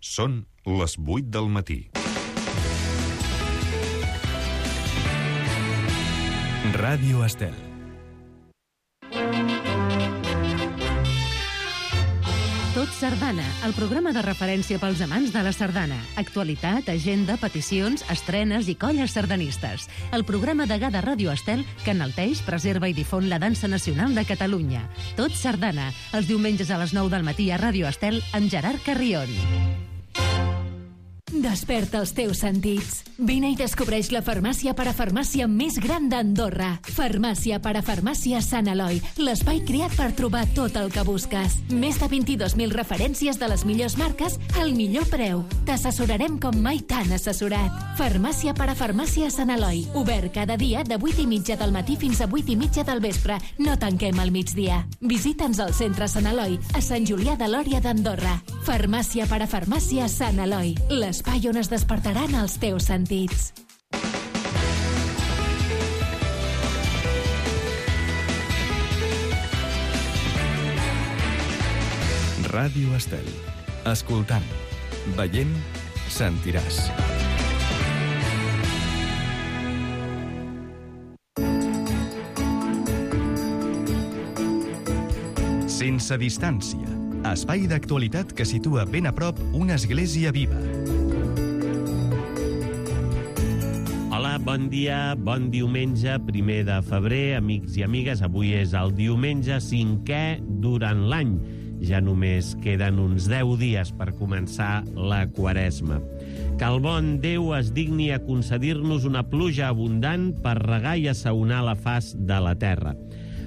Són les 8 del matí. Ràdio Estel. Tot Sardana, el programa de referència pels amants de la sardana. Actualitat, agenda, peticions, estrenes i colles sardanistes. El programa degà de Ràdio Estel que enalteix, preserva i difon la dansa nacional de Catalunya. Tot Sardana, els diumenges a les 9 del matí a Ràdio Estel amb Gerard Carrion. Desperta els teus sentits. Vine i descobreix la farmàcia parafarmàcia més gran d'Andorra. Farmàcia parafarmàcia Sant Eloi, l'espai creat per trobar tot el que busques. Més de 22.000 referències de les millors marques al millor preu. T'assessorarem com mai t'han assessorat. Farmàcia parafarmàcia Sant Eloi, obert cada dia de 8:30 del matí fins a 8:30 del vespre. No tanquem al migdia. Visita'ns al centre Sant Eloi, a Sant Julià de Lòria d'Andorra. Farmàcia parafarmàcia Sant Eloi, l'espai on es despertaran els teus sentits. Ràdio Estel. Escoltant, veient, sentiràs. Sense distància. Espai d'actualitat que situa ben a prop una església viva. Hola, bon dia, bon diumenge, 1 de febrer, amics i amigues. Avui és el diumenge 5è durant l'any. Ja només queden uns 10 dies per començar la Quaresma. Que el bon Déu es digni a concedir-nos una pluja abundant per regar i assaonar la faç de la terra.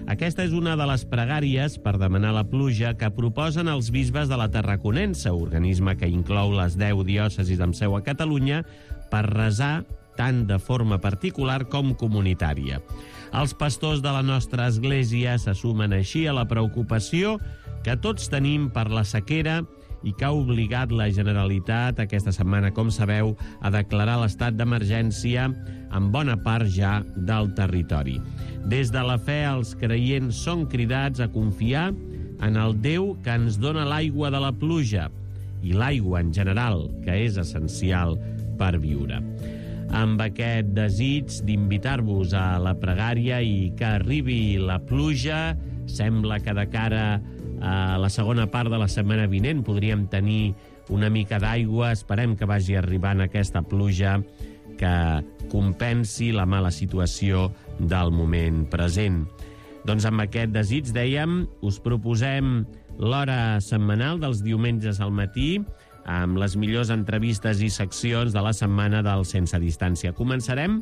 Aquesta és una de les pregàries per demanar la pluja que proposen els bisbes de la Tarraconense, organisme que inclou les 10 diòcesis amb seu a Catalunya, per resar tant de forma particular com comunitària. Els pastors de la nostra església se sumen així a la preocupació que tots tenim per la sequera i que ha obligat la Generalitat aquesta setmana, com sabeu, a declarar l'estat d'emergència en bona part ja del territori. Des de la fe, els creients són cridats a confiar en el Déu que ens dona l'aigua de la pluja i l'aigua en general, que és essencial per viure. Amb aquest desig d'invitar-vos a la pregària i que arribi la pluja, sembla que de cara a la segona part de la setmana vinent podríem tenir una mica d'aigua. Esperem que vagi arribant aquesta pluja que compensi la mala situació del moment present. Doncs amb aquest desig, dèiem, us proposem l'hora setmanal dels diumenges al matí amb les millors entrevistes i seccions de la setmana del Sense Distància. Començarem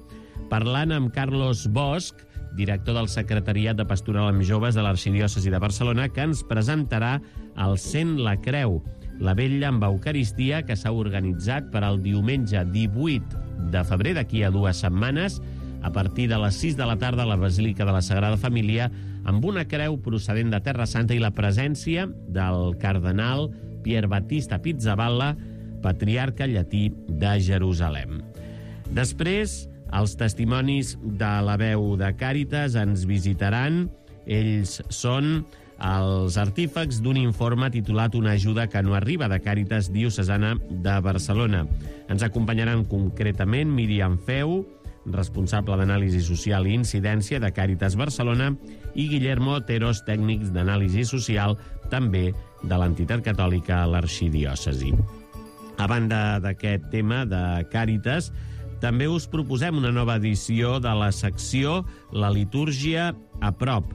parlant amb Carlos Bosch, director del Secretariat de Pastoral amb Joves de l'Arxidiòcesi de Barcelona, que ens presentarà el Sent la Creu, la vetlla amb Eucaristia que s'ha organitzat per al diumenge 18 de febrer, d'aquí a 2 setmanes, a partir de les 6 de la tarda a la Basílica de la Sagrada Família, amb una creu procedent de Terra Santa i la presència del cardenal Pier Battista Pizzaballa, patriarca llatí de Jerusalem. Després, els testimonis de la veu de Càritas ens visitaran. Ells són els artífex d'un informe titulat Una ajuda que no arriba, de Càritas Diocesana de Barcelona. Ens acompanyaran concretament Míriam Feu, responsable d'Anàlisi Social i Incidència de Càritas Barcelona, i Guillermo Oteros, tècnics d'Anàlisi Social, també de l'entitat catòlica a l'Arxidiòcesi. A banda d'aquest tema de Càritas, també us proposem una nova edició de la secció La litúrgia a prop.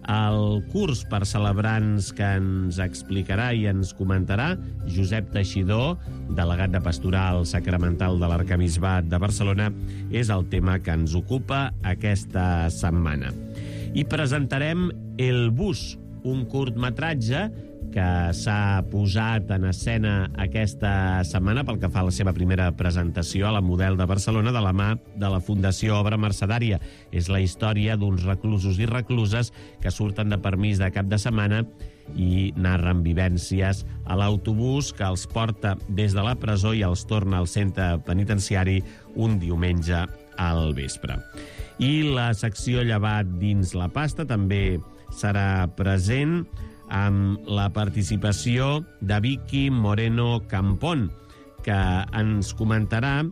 El curs per celebrants que ens explicarà i ens comentarà Josep Teixidor, delegat de Pastoral Sacramental de l'Arquebisbat de Barcelona, és el tema que ens ocupa aquesta setmana. I presentarem El Bus, un curtmetratge que s'ha posat en escena aquesta setmana pel que fa a la seva primera presentació a la Model de Barcelona de la mà de la Fundació Obra Mercedària. És la història d'uns reclusos i recluses que surten de permís de cap de setmana i narren vivències a l'autobús que els porta des de la presó i els torna al centre penitenciari un diumenge al vespre. I la secció Llevat dins la pasta també serà present amb la participació de Vicky Moreno Campón, que ens comentarà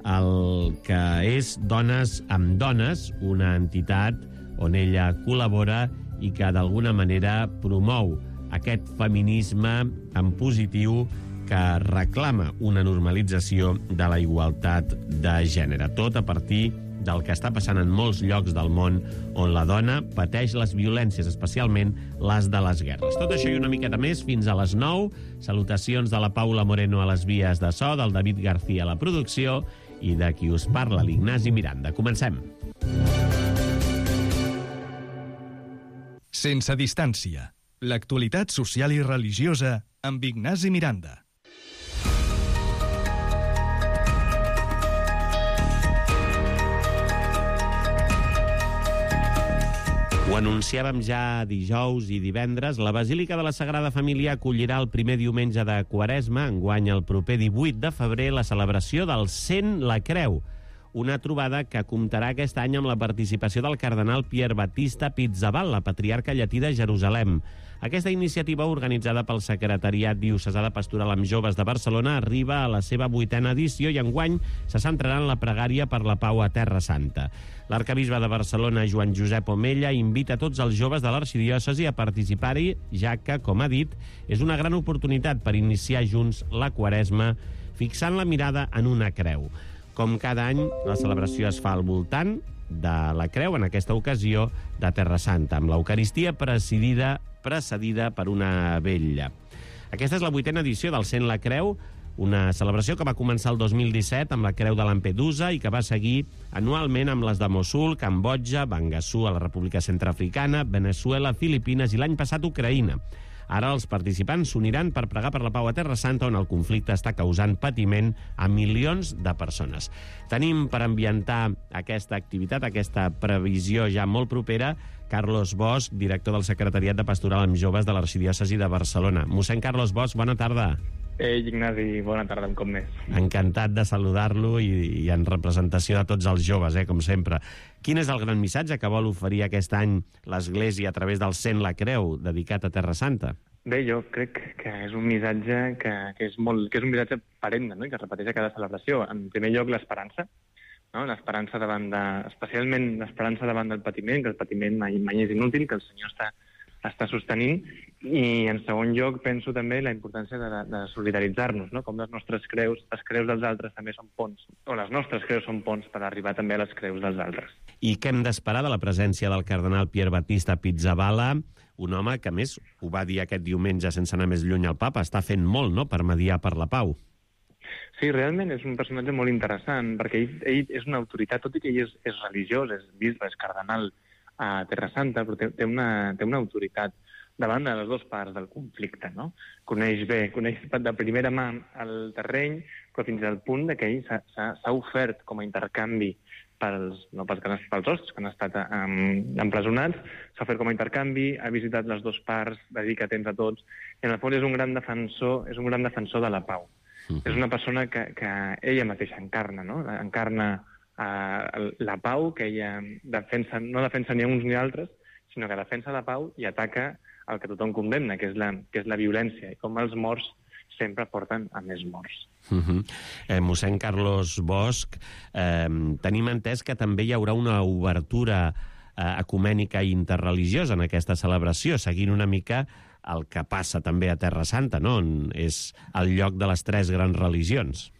el que és Dones amb Dones, una entitat on ella col·labora i que d'alguna manera promou aquest feminisme en positiu que reclama una normalització de la igualtat de gènere. Tot a partir del que està passant en molts llocs del món on la dona pateix les violències, especialment les de les guerres. Tot això i una miqueta més fins a les 9. Salutacions de la Paula Moreno a les vies de so, del David García a la producció i de qui us parla, l'Ignasi Miranda. Comencem. Sense distància. L'actualitat social i religiosa amb Ignasi Miranda. Ho anunciàvem ja dijous i divendres. La Basílica de la Sagrada Família acollirà el primer diumenge de Quaresma, enguany el proper 18 de febrer, la celebració del Sent la Creu, una trobada que comptarà aquest any amb la participació del cardenal Pier Battista Pizzaballa, patriarca llatí de Jerusalem. Aquesta iniciativa, organitzada pel Secretariat Diocesà de Pastoral amb Joves de Barcelona, arriba a la seva 8a edició i enguany se centrarà en la pregària per la pau a Terra Santa. L'arcabisbe de Barcelona, Joan Josep Omella, invita tots els joves de l'arxidiòcesi a participar-hi, ja que, com ha dit, és una gran oportunitat per iniciar junts la Quaresma, fixant la mirada en una creu. Com cada any, la celebració es fa al voltant de la creu, en aquesta ocasió de Terra Santa, amb l'Eucaristia precedida per una vetlla. Aquesta és la 8a edició del Sent la Creu, una celebració que va començar el 2017 amb la Creu de Lampedusa i que va seguir anualment amb les de Mossul, Cambodja, Bangassou a la República Centreafricana, Venezuela, Filipines i l'any passat Ucraïna. Ara els participants s'uniran per pregar per la pau a Terra Santa, on el conflicte està causant patiment a milions de persones. Tenim per ambientar aquesta activitat, aquesta previsió ja molt propera, Carlos Bosch, director del Secretariat de Pastoral amb Joves de l'Arxidiòcesi de Barcelona. Mossèn Carlos Bosch, bona tarda. Ignasi, bona tarda, un cop més. Encantat de saludar-lo i en representació de tots els joves, com sempre. Quin és el gran missatge que vol oferir aquest any l'Església a través del Sent la Creu, dedicat a Terra Santa? Bé, jo crec que és un missatge que és un missatge perenne, no? I que es repeteix a cada celebració. En primer lloc, l'esperança, no? L'esperança especialment l'esperança davant del patiment, que el patiment mai és inútil, que el Senyor està sostenint, i en segon lloc penso també la importància de solidaritzar-nos, no? Com les nostres creus, les creus dels altres també són ponts, o les nostres creus són ponts per arribar també a les creus dels altres. I què hem d'esperar de la presència del cardenal Pier Battista Pizzaballa, un home que, a més, ho va dir aquest diumenge sense anar més lluny al papa, està fent molt, no?, per mediar per la pau. Sí, realment és un personatge molt interessant, perquè ell és una autoritat, tot i que ell és religiós, és bisbe, és cardenal a Terra Santa, però té una autoritat davant de les dues parts del conflicte, no? Coneix de primera mà el terreny, però fins al punt que ell s'ha ofert com a intercanvi pels hostes que han estat empresonats, s'ha ofert com a intercanvi, ha visitat les dues parts, dedica temps a tots, i en el fons és un gran defensor de la pau. És una persona que ella mateixa encarna, no? Encarna la pau, que ella no defensa ni uns ni altres, sinó que defensa la pau i ataca el que tothom condemna, que és la violència, i com els morts sempre porten a més morts. Mossèn Carlos Bosch, tenim entès que també hi haurà una obertura ecumènica i interreligiosa en aquesta celebració, seguint una mica el que passa també a Terra Santa, no? On és el lloc de les tres grans religions.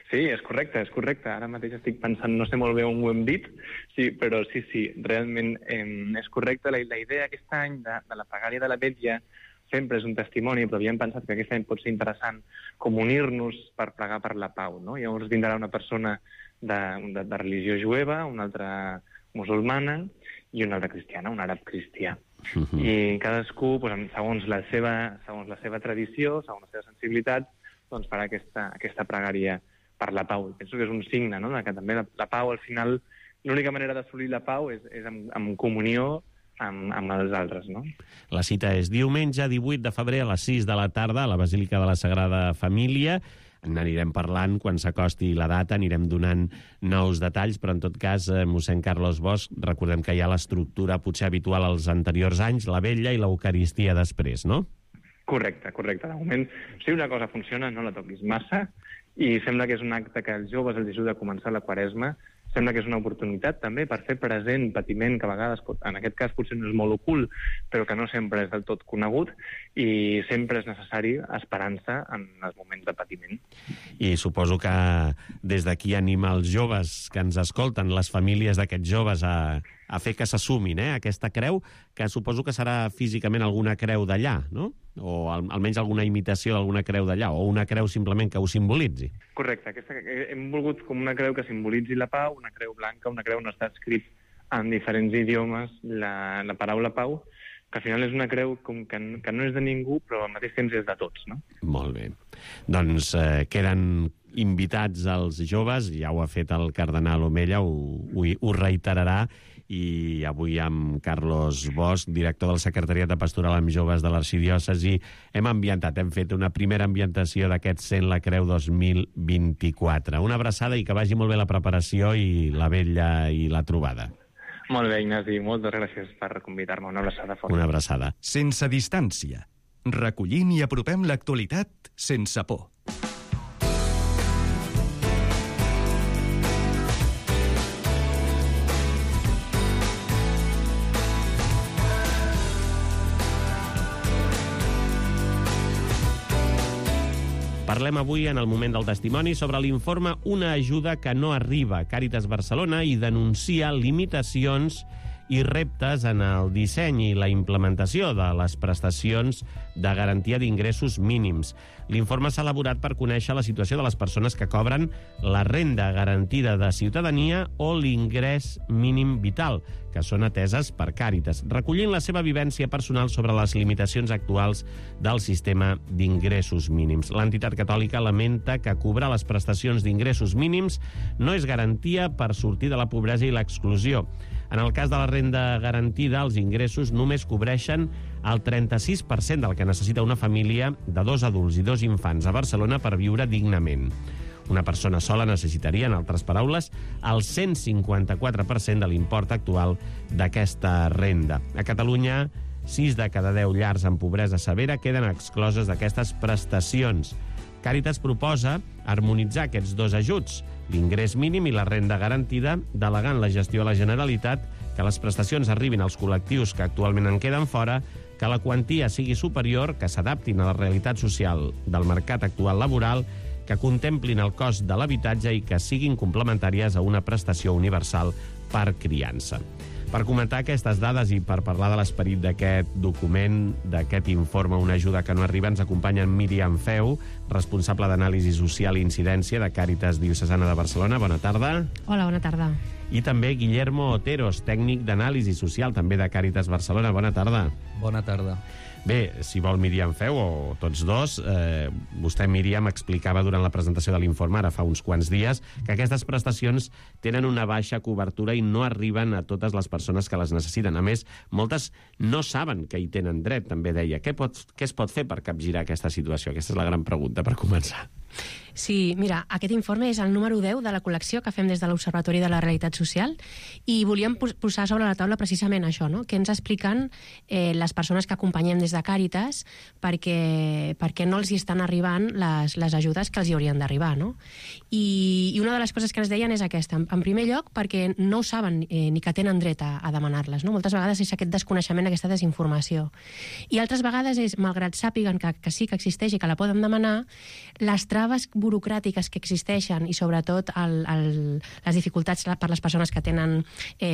Sí, és correcte. Ara mateix estic pensant, no sé molt bé on ho hem dit, sí, però sí, realment és correcte. La idea aquest any de la pregària de la vetlla sempre és un testimoni, però havíem pensat que aquest any pot ser interessant com unir-nos per pregar per la pau, no? Llavors vindrà una persona de religió jueva, una altra musulmana i una altra cristiana, un àrab cristià. I cadascú, segons la seva tradició, segons la seva sensibilitat, doncs farà aquesta pregària per la pau. Penso que és un signe, no?, que també la pau, al final, l'única manera d'assolir la pau és en comunió amb els altres, no? La cita és diumenge 18 de febrer a les 6 de la tarda a la Basílica de la Sagrada Família. n'anirem parlant quan s'acosti la data, anirem donant nous detalls, però en tot cas, mossèn Carlos Bosch, recordem que hi ha l'estructura potser habitual als anteriors anys, la vetlla i l'Eucaristia després, no? Correcte. De moment, si una cosa funciona, no la toquis massa, i sembla que és un acte que als joves els ajuda a començar la Quaresma. Sembla que és una oportunitat també per fer present patiment que a vegades, en aquest cas potser no és molt ocult, però que no sempre és del tot conegut, i sempre és necessari esperança en els moments de patiment. I suposo que des d'aquí anima els joves que ens escolten, les famílies d'aquests joves, a fer que s'assumin aquesta creu, que suposo que serà físicament alguna creu d'allà, no? O almenys alguna imitació d'alguna creu d'allà, o una creu simplement que ho simbolitzi. Correcte. Hem volgut com una creu que simbolitzi la pau, una creu blanca, una creu on està escrit en diferents idiomes la paraula pau, que al final és una creu com que no és de ningú, però al mateix temps és de tots, no? Molt bé. Doncs queden invitats els joves, ja ho ha fet el cardenal Omella, ho reiterarà, i avui amb Carlos Bosch, director del Secretariat de Pastoral amb Joves de l'Arxidiòcesi, hem fet una primera ambientació d'aquest Sent la Creu 2024. Una abraçada i que vagi molt bé la preparació i la vetlla i la trobada. Molt bé, Ignasi, moltes gràcies per convidar-me. Una abraçada forta. Una abraçada. Sense distància. Recollint i apropem l'actualitat sense por. Parlem avui, en el moment del testimoni, sobre l'informe Una ajuda que no arriba. Càritas Barcelona i denuncia limitacions i reptes en el disseny i la implementació de les prestacions de garantia d'ingressos mínims. L'informe s'ha elaborat per conèixer la situació de les persones que cobren la renda garantida de ciutadania o l'ingrés mínim vital, que són ateses per Càritas, recollint la seva vivència personal sobre les limitacions actuals del sistema d'ingressos mínims. L'entitat catòlica lamenta que cobrar les prestacions d'ingressos mínims no és garantia per sortir de la pobresa i l'exclusió. En el cas de la renda garantida, els ingressos només cobreixen el 36% del que necessita una família de 2 adults i 2 infants a Barcelona per viure dignament. Una persona sola necessitaria, en altres paraules, el 154% de l'import actual d'aquesta renda. A Catalunya, 6 de cada 10 llars en pobresa severa queden excloses d'aquestes prestacions. Càritas proposa harmonitzar aquests 2 ajuts, l'ingrés mínim i la renda garantida, delegant la gestió a la Generalitat, que les prestacions arribin als col·lectius que actualment en queden fora, que la quantia sigui superior, que s'adaptin a la realitat social del mercat actual laboral, que contemplin el cost de l'habitatge i que siguin complementàries a una prestació universal per criança. Per comentar aquestes dades i per parlar de l'esperit d'aquest document, d'aquest informe Una ajuda que no arriba, ens acompanyen Míriam Feu, responsable d'anàlisi social i incidència de Càritas Diocesana de Barcelona. Bona tarda. Hola, bona tarda. I també Guillermo Oteros, tècnic d'anàlisi social, també de Càritas Barcelona. Bona tarda. Bona tarda. Bé, si vol Míriam Feu, o tots dos, vostè, Míriam, explicava durant la presentació de l'informe, ara fa uns quants dies, que aquestes prestacions tenen una baixa cobertura i no arriben a totes les persones que les necessiten. A més, moltes no saben que hi tenen dret, també deia. Què es pot fer per capgirar aquesta situació? Aquesta és la gran pregunta per començar. Sí, mira, aquest informe és el número 10 de la col·lecció que fem des de l'Observatori de la Realitat Social i volíem posar sobre la taula precisament això, no? Què ens expliquen les persones que acompanyem des de Càritas perquè no els hi estan arribant les ajudes que els hi haurien d'arribar, no? I una de les coses que ens deien és aquesta. En primer lloc, perquè no ho saben ni que tenen dret a demanar-les, no? Moltes vegades és aquest desconeixement, aquesta desinformació. I altres vegades és, malgrat sàpiguen que sí que existeix i que la poden demanar, les traves burocràtiques que existeixen i sobretot les dificultats per les persones que tenen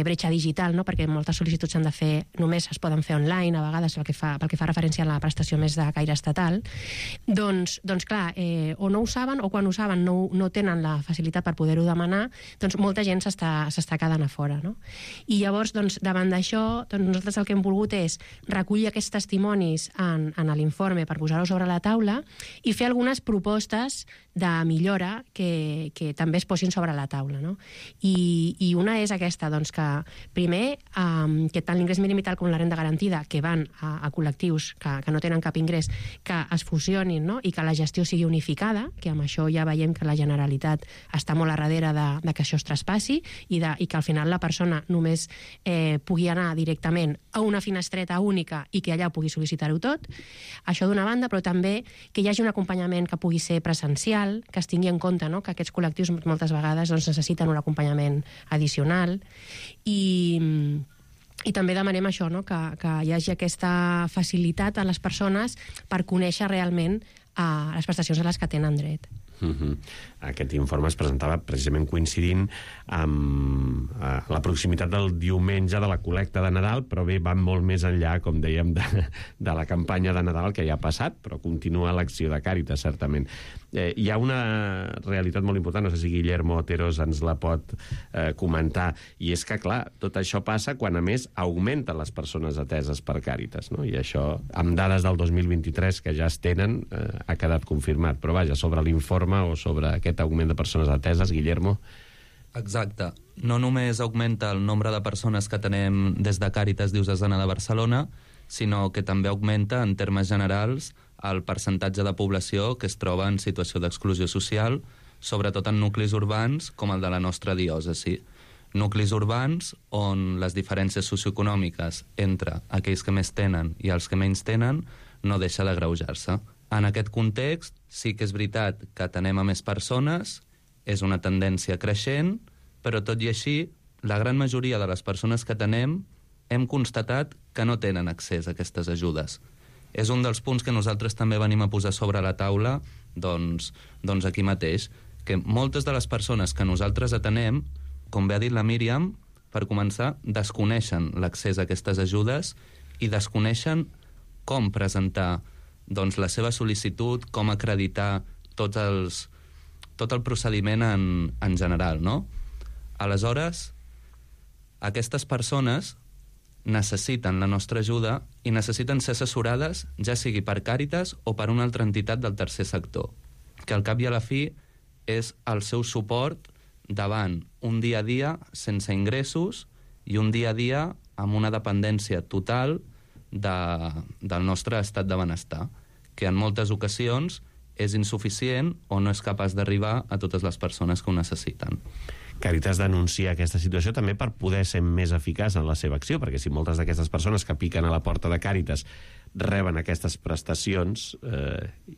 bretxa digital, no? Perquè moltes sol·licituds s'han de fer, només es poden fer online, a vegades pel que fa referència a la prestació més de caire estatal, doncs clar, o no ho saben o quan ho saben no tenen la facilitat per poder-ho demanar, doncs molta gent s'està quedant a fora, no? I llavors, doncs, davant d'això, doncs nosaltres el que hem volgut és recollir aquests testimonis en l'informe per posar-ho sobre la taula i fer algunes propostes de millora que també es posin sobre la taula, no? I una és aquesta, doncs, que primer, que tant l'ingrés mínim vital com la renda garantida, que van a col·lectius que no tenen cap ingrés, que es fusionin, no? I que la gestió sigui unificada, que amb això ja veiem que la Generalitat està molt a darrere de que això es traspassi i que al final la persona només pugui anar directament a una finestreta única i que allà pugui sol·licitar-ho tot. Això d'una banda, però també que hi hagi un acompanyament que pugui ser presencial, que es tingui en compte, no?, que aquests col·lectius moltes vegades doncs, necessiten un acompanyament addicional i també demanem això, no?, que hi hagi aquesta facilitat a les persones per conèixer realment les prestacions a les que tenen dret. Aquest informe es presentava precisament coincidint amb la proximitat del diumenge de la col·lecta de Nadal, però bé, va molt més enllà, com dèiem, de la campanya de Nadal que ja ha passat, però continua l'acció de Càritas, certament. Hi ha una realitat molt important, no sé si Guillermo Oteros ens la pot comentar, i és que, clar, tot això passa quan, a més, augmenten les persones ateses per Càritas, no? I això, amb dades del 2023 que ja es tenen, ha quedat confirmat. Però, vaja, sobre l'informe o sobre aquest augment de persones ateses, Guillermo? Exacte. No només augmenta el nombre de persones que tenem des de Càritas Diocesana de Barcelona, sinó que també augmenta, en termes generals, el percentatge de població que es troba en situació d'exclusió social, sobretot en nuclis urbans com el de la nostra diòcesi. Nuclis urbans on les diferències socioeconòmiques entre aquells que més tenen i els que menys tenen no deixa d'agreujar-se. En aquest context, sí que és veritat que atenem a més persones, és una tendència creixent, però tot i així, la gran majoria de les persones que atenem hem constatat que no tenen accés a aquestes ajudes. És un dels punts que nosaltres també venim a posar sobre la taula, doncs aquí mateix, que moltes de les persones que nosaltres atenem, com bé ha dit la Míriam, per començar, desconeixen l'accés a aquestes ajudes i desconeixen com presentar doncs, la seva sol·licitud, com acreditar tot el procediment en general, no? Aleshores, aquestes persones necessiten la nostra ajuda i necessiten ser assessorades, ja sigui per Càritas o per una altra entitat del tercer sector, que al cap i a la fi és el seu suport davant un dia a dia sense ingressos i un dia a dia amb una dependència total del nostre estat de benestar, que en moltes ocasions és insuficient o no és capaç d'arribar a totes les persones que ho necessiten. Càritas denuncia aquesta situació també per poder ser més eficaç en la seva acció, perquè si moltes d'aquestes persones que piquen a la porta de Càritas reben aquestes prestacions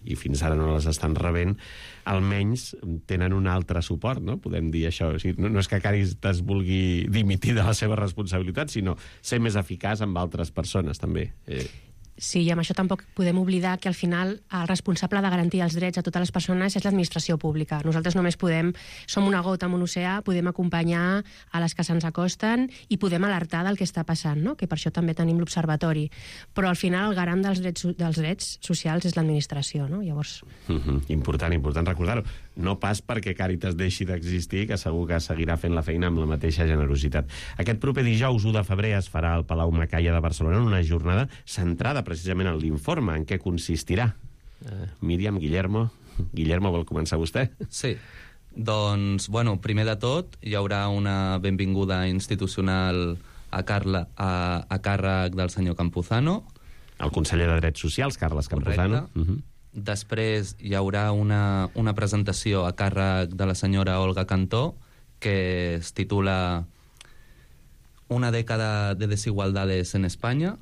i fins ara no les estan rebent, almenys tenen un altre suport, no? Podem dir això. O sigui, no és que Càritas vulgui dimitir de la seva responsabilitat, sinó ser més eficaç amb altres persones, també. Sí, i amb això tampoc podem oblidar que al final el responsable de garantir els drets a totes les persones és l'administració pública. Nosaltres només som una gota en un oceà, podem acompanyar a les que se'ns acosten i podem alertar del que està passant, no? Que per això també tenim l'observatori. Però al final el garant dels drets socials és l'administració, no? Llavors... Important recordar-ho. No pas perquè Càritas deixi d'existir, que segur que seguirà fent la feina amb la mateixa generositat. Aquest proper dijous 1 de febrer es farà al Palau Macaya de Barcelona una jornada centrada precisament en l'informe. En què consistirà? Míriam, Guillermo vol començar vostè? Sí. Doncs, bueno, primer de tot, hi haurà una benvinguda institucional a càrrec del senyor Campuzano. El conseller de Drets Socials, Carles Campuzano. Després hi haurà una presentació a càrrec de la senyora Olga Cantó, que es titula Una dècada de desigualdades en Espanya,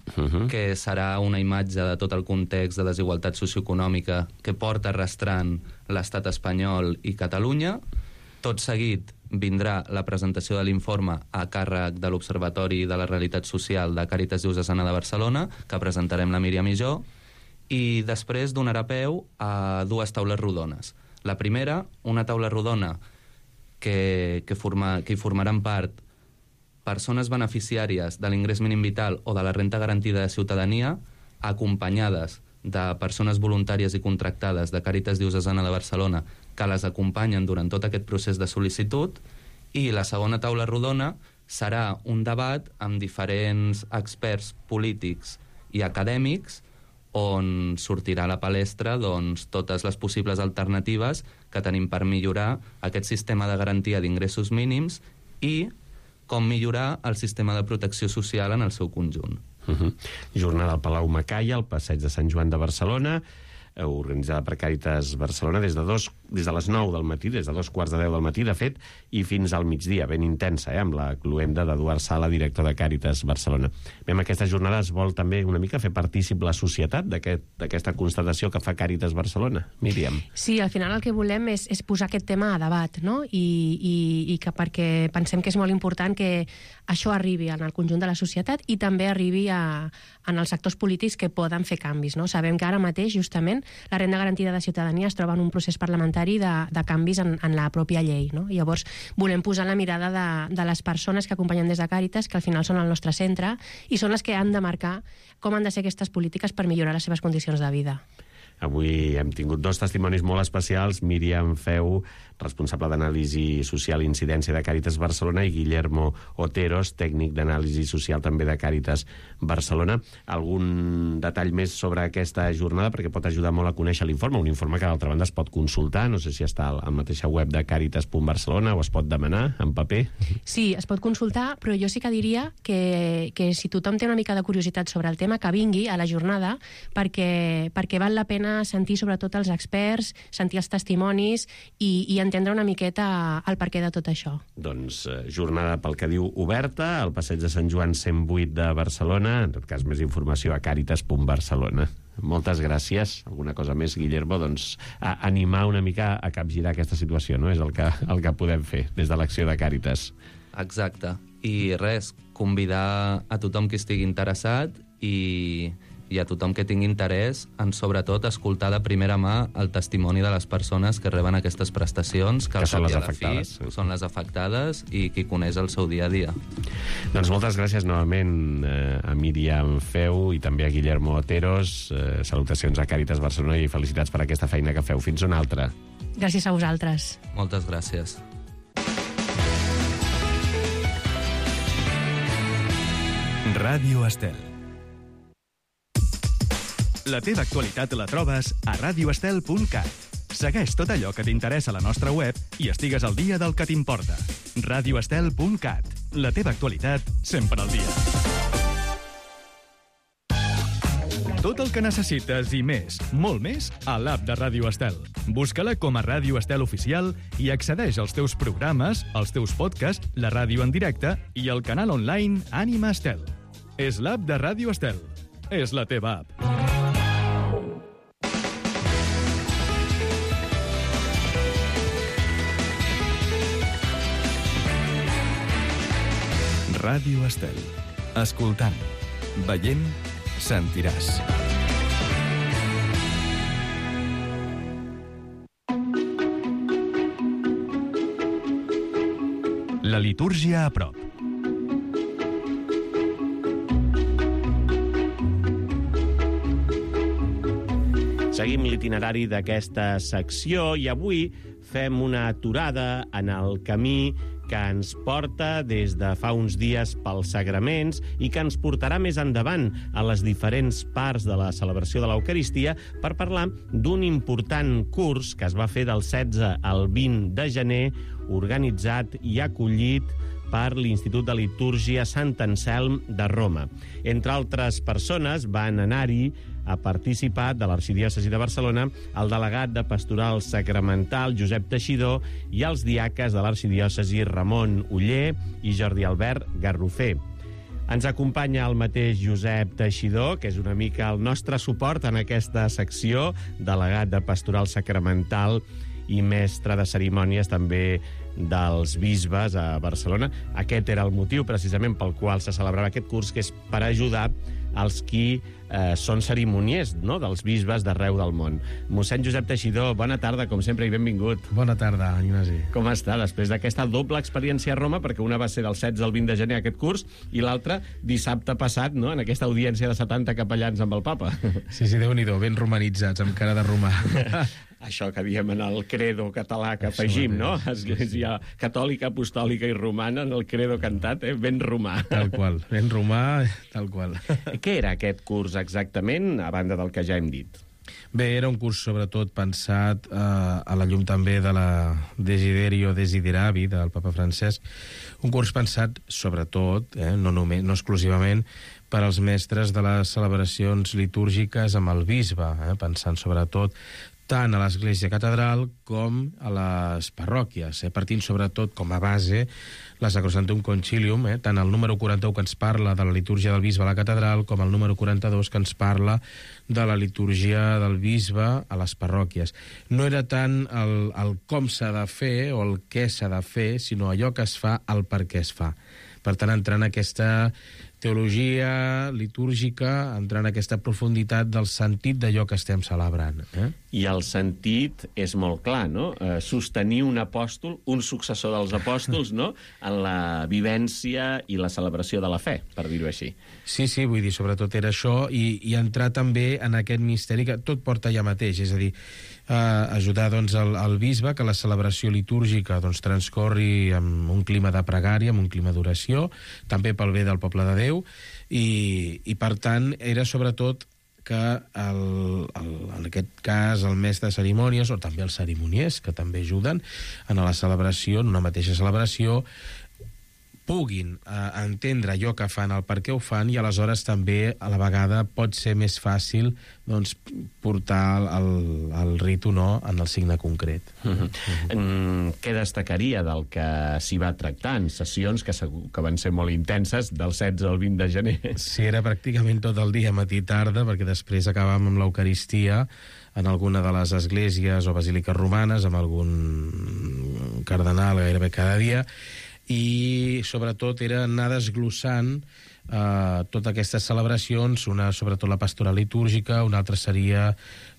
que serà una imatge de tot el context de desigualtat socioeconòmica que porta arrastrant l'estat espanyol i Catalunya. Tot seguit vindrà la presentació de l'informe a càrrec de l'Observatori de la Realitat Social de Càritas Diocesana de Barcelona, que presentarem la Míriam i jo, i després donarà peu a 2 taules rodones. La primera, una taula rodona que hi formaran part persones beneficiàries de l'ingrés mínim vital o de la renta garantida de ciutadania, acompanyades de persones voluntàries i contractades de Càritas Diocesana de Barcelona que les acompanyen durant tot aquest procés de sol·licitud, i la segona taula rodona serà un debat amb diferents experts polítics i acadèmics on sortirà a la palestra doncs, totes les possibles alternatives que tenim per millorar aquest sistema de garantia d'ingressos mínims i com millorar el sistema de protecció social en el seu conjunt. Jornada al Palau Macaya, al Passeig de Sant Joan de Barcelona, organitzada per Càritas Barcelona des de les 9 del matí, des de 2:15 del matí, de fet, i fins al migdia, ben intensa, amb la cluenda d'Eduard Sala, director de Càritas Barcelona. Bé, amb aquesta jornada es vol també una mica fer partícip la societat d'aquesta constatació que fa Càritas Barcelona. Míriam. Sí, al final el que volem és posar aquest tema a debat, no? I que perquè pensem que és molt important que això arribi en el conjunt de la societat i també arribi en els sectors polítics que poden fer canvis, no? Sabem que ara mateix, justament, la renda garantida de ciutadania es troba en un procés parlamentari de canvis en la pròpia llei, no? I llavors volem posar la mirada de les persones que acompanyen des de Càritas, que al final són el nostre centre, i són les que han de marcar com han de ser aquestes polítiques per millorar les seves condicions de vida. Avui hem tingut 2 testimonis molt especials, Míriam Feu, responsable d'anàlisi social i incidència de Càritas Barcelona, i Guillermo Oteros, tècnic d'anàlisi social també de Càritas Barcelona. Algun detall més sobre aquesta jornada, perquè pot ajudar molt a conèixer l'informe, un informe que d'altra banda es pot consultar, no sé si està a la mateixa web de Càritas.Barcelona o es pot demanar en paper. Sí, es pot consultar, però jo sí que diria que si tothom té una mica de curiositat sobre el tema, que vingui a la jornada, perquè val la pena sentir sobretot els experts, sentir els testimonis i entendre una miqueta el perquè de tot això. Doncs jornada, pel que diu, oberta al Passeig de Sant Joan 108 de Barcelona. En tot cas, més informació a Càritas.Barcelona. Moltes gràcies. Alguna cosa més, Guillermo? Doncs animar una mica a capgirar aquesta situació, no? És el que podem fer des de l'acció de Càritas. Exacte. I res, convidar a tothom que estigui interessat i a tothom que tingui interès en, sobretot, escoltar de primera mà el testimoni de les persones que reben aquestes prestacions, que són les afectades. Són les afectades i qui coneix el seu dia a dia. Doncs moltes gràcies novament a Míriam Feu i també a Guillermo Oteros. Salutacions a Càritas Barcelona i felicitats per aquesta feina que feu. Fins una altra. Gràcies a vosaltres. Moltes gràcies. Ràdio Estel. La teva actualitat la trobes a radioestel.cat. Segueix tot allò que t'interessa a la nostra web i estigues al dia del que t'importa. radioestel.cat. La teva actualitat sempre al dia. Tot el que necessites i més, molt més, a l'app de Ràdio Estel. Busca-la com a Ràdio Estel Oficial i accedeix als teus programes, als teus podcasts, la ràdio en directe i el canal online Ànima Estel. És l'app de Ràdio Estel. És la teva app. Ràdio Estel. Escoltant, veient, sentiràs. La litúrgia a prop. Seguim l'itinerari d'aquesta secció i avui fem una aturada en el camí que ens porta des de fa uns dies pels sagraments i que ens portarà més endavant a les diferents parts de la celebració de l'Eucaristia per parlar d'un important curs que es va fer del 16 al 20 de gener, organitzat i acollit per l'Institut de Litúrgia Sant Anselm de Roma. Entre altres persones van anar-hi a participar de l'Arxidiòcesi de Barcelona el delegat de Pastoral Sacramental Josep Teixidor i els diaques de l'Arxidiòcesi Ramon Oller i Jordi Albert Garrofer. Ens acompanya el mateix Josep Teixidor, que és una mica el nostre suport en aquesta secció, delegat de Pastoral Sacramental i mestre de cerimònies també dels bisbes a Barcelona. Aquest era el motiu precisament pel qual se celebrava aquest curs, que és per ajudar els qui són cerimoniers, no?, dels bisbes d'arreu del món. Mossèn Josep Teixidor, bona tarda, com sempre, i benvingut. Bona tarda, Ignasi. Com està, després d'aquesta doble experiència a Roma, perquè una va ser del 16 al 20 de gener aquest curs, i l'altra dissabte passat, no?, en aquesta audiència de 70 capellans amb el papa. Sí, Déu-n'hi-do, ben romanitzats, amb cara de romà. Això que diem en el credo català que afegim, no? Església catòlica, apostòlica i romana, en el credo cantat, ben romà. Tal qual, ben romà, tal qual. Què era aquest curs exactament, a banda del que ja hem dit? Bé, era un curs sobretot pensat a la llum també de la Desiderio Desideravi del papa Francesc, un curs pensat sobretot, no exclusivament, per als mestres de les celebracions litúrgiques amb el bisbe, pensant sobretot tant a l'Església Catedral com a les parròquies, partint sobretot com a base la Sacrosanctum Concilium, tant el número 41 que ens parla de la litúrgia del bisbe a la catedral com el número 42 que ens parla de la litúrgia del bisbe a les parròquies. No era tant el com s'ha de fer o el què s'ha de fer, sinó allò que es fa, el per què es fa. Per tant, entrar en aquesta teologia litúrgica, entrar en aquesta profunditat del sentit d'allò que estem celebrant. I el sentit és molt clar, no? Sostenir un apòstol, un successor dels apòstols, no?, en la vivència i la celebració de la fe, per dir-ho així. Sí, vull dir, sobretot era això, i entrar també en aquest misteri que tot porta allà mateix, és a dir, ajudar doncs, el bisbe que la celebració litúrgica doncs, transcorri en un clima de pregària, en un clima d'oració, també pel bé del poble de Déu, i per tant era sobretot que en aquest cas el mestre de cerimònies o també els cerimoniers que també ajuden en la celebració, en una mateixa celebració, puguin entendre allò que fan, el per què ho fan, i aleshores també a la vegada pot ser més fàcil doncs, portar el ritu no, en el signe concret. Què destacaria del que s'hi va tractar en sessions que van ser molt intenses del 16 al 20 de gener? Sí, era pràcticament tot el dia, matí i tarda, perquè després acabàvem amb l'Eucaristia en alguna de les esglésies o basíliques romanes, amb algun cardenal gairebé cada dia, i sobretot era anar desglossant totes aquestes celebracions, una sobretot la pastoral litúrgica, una altra seria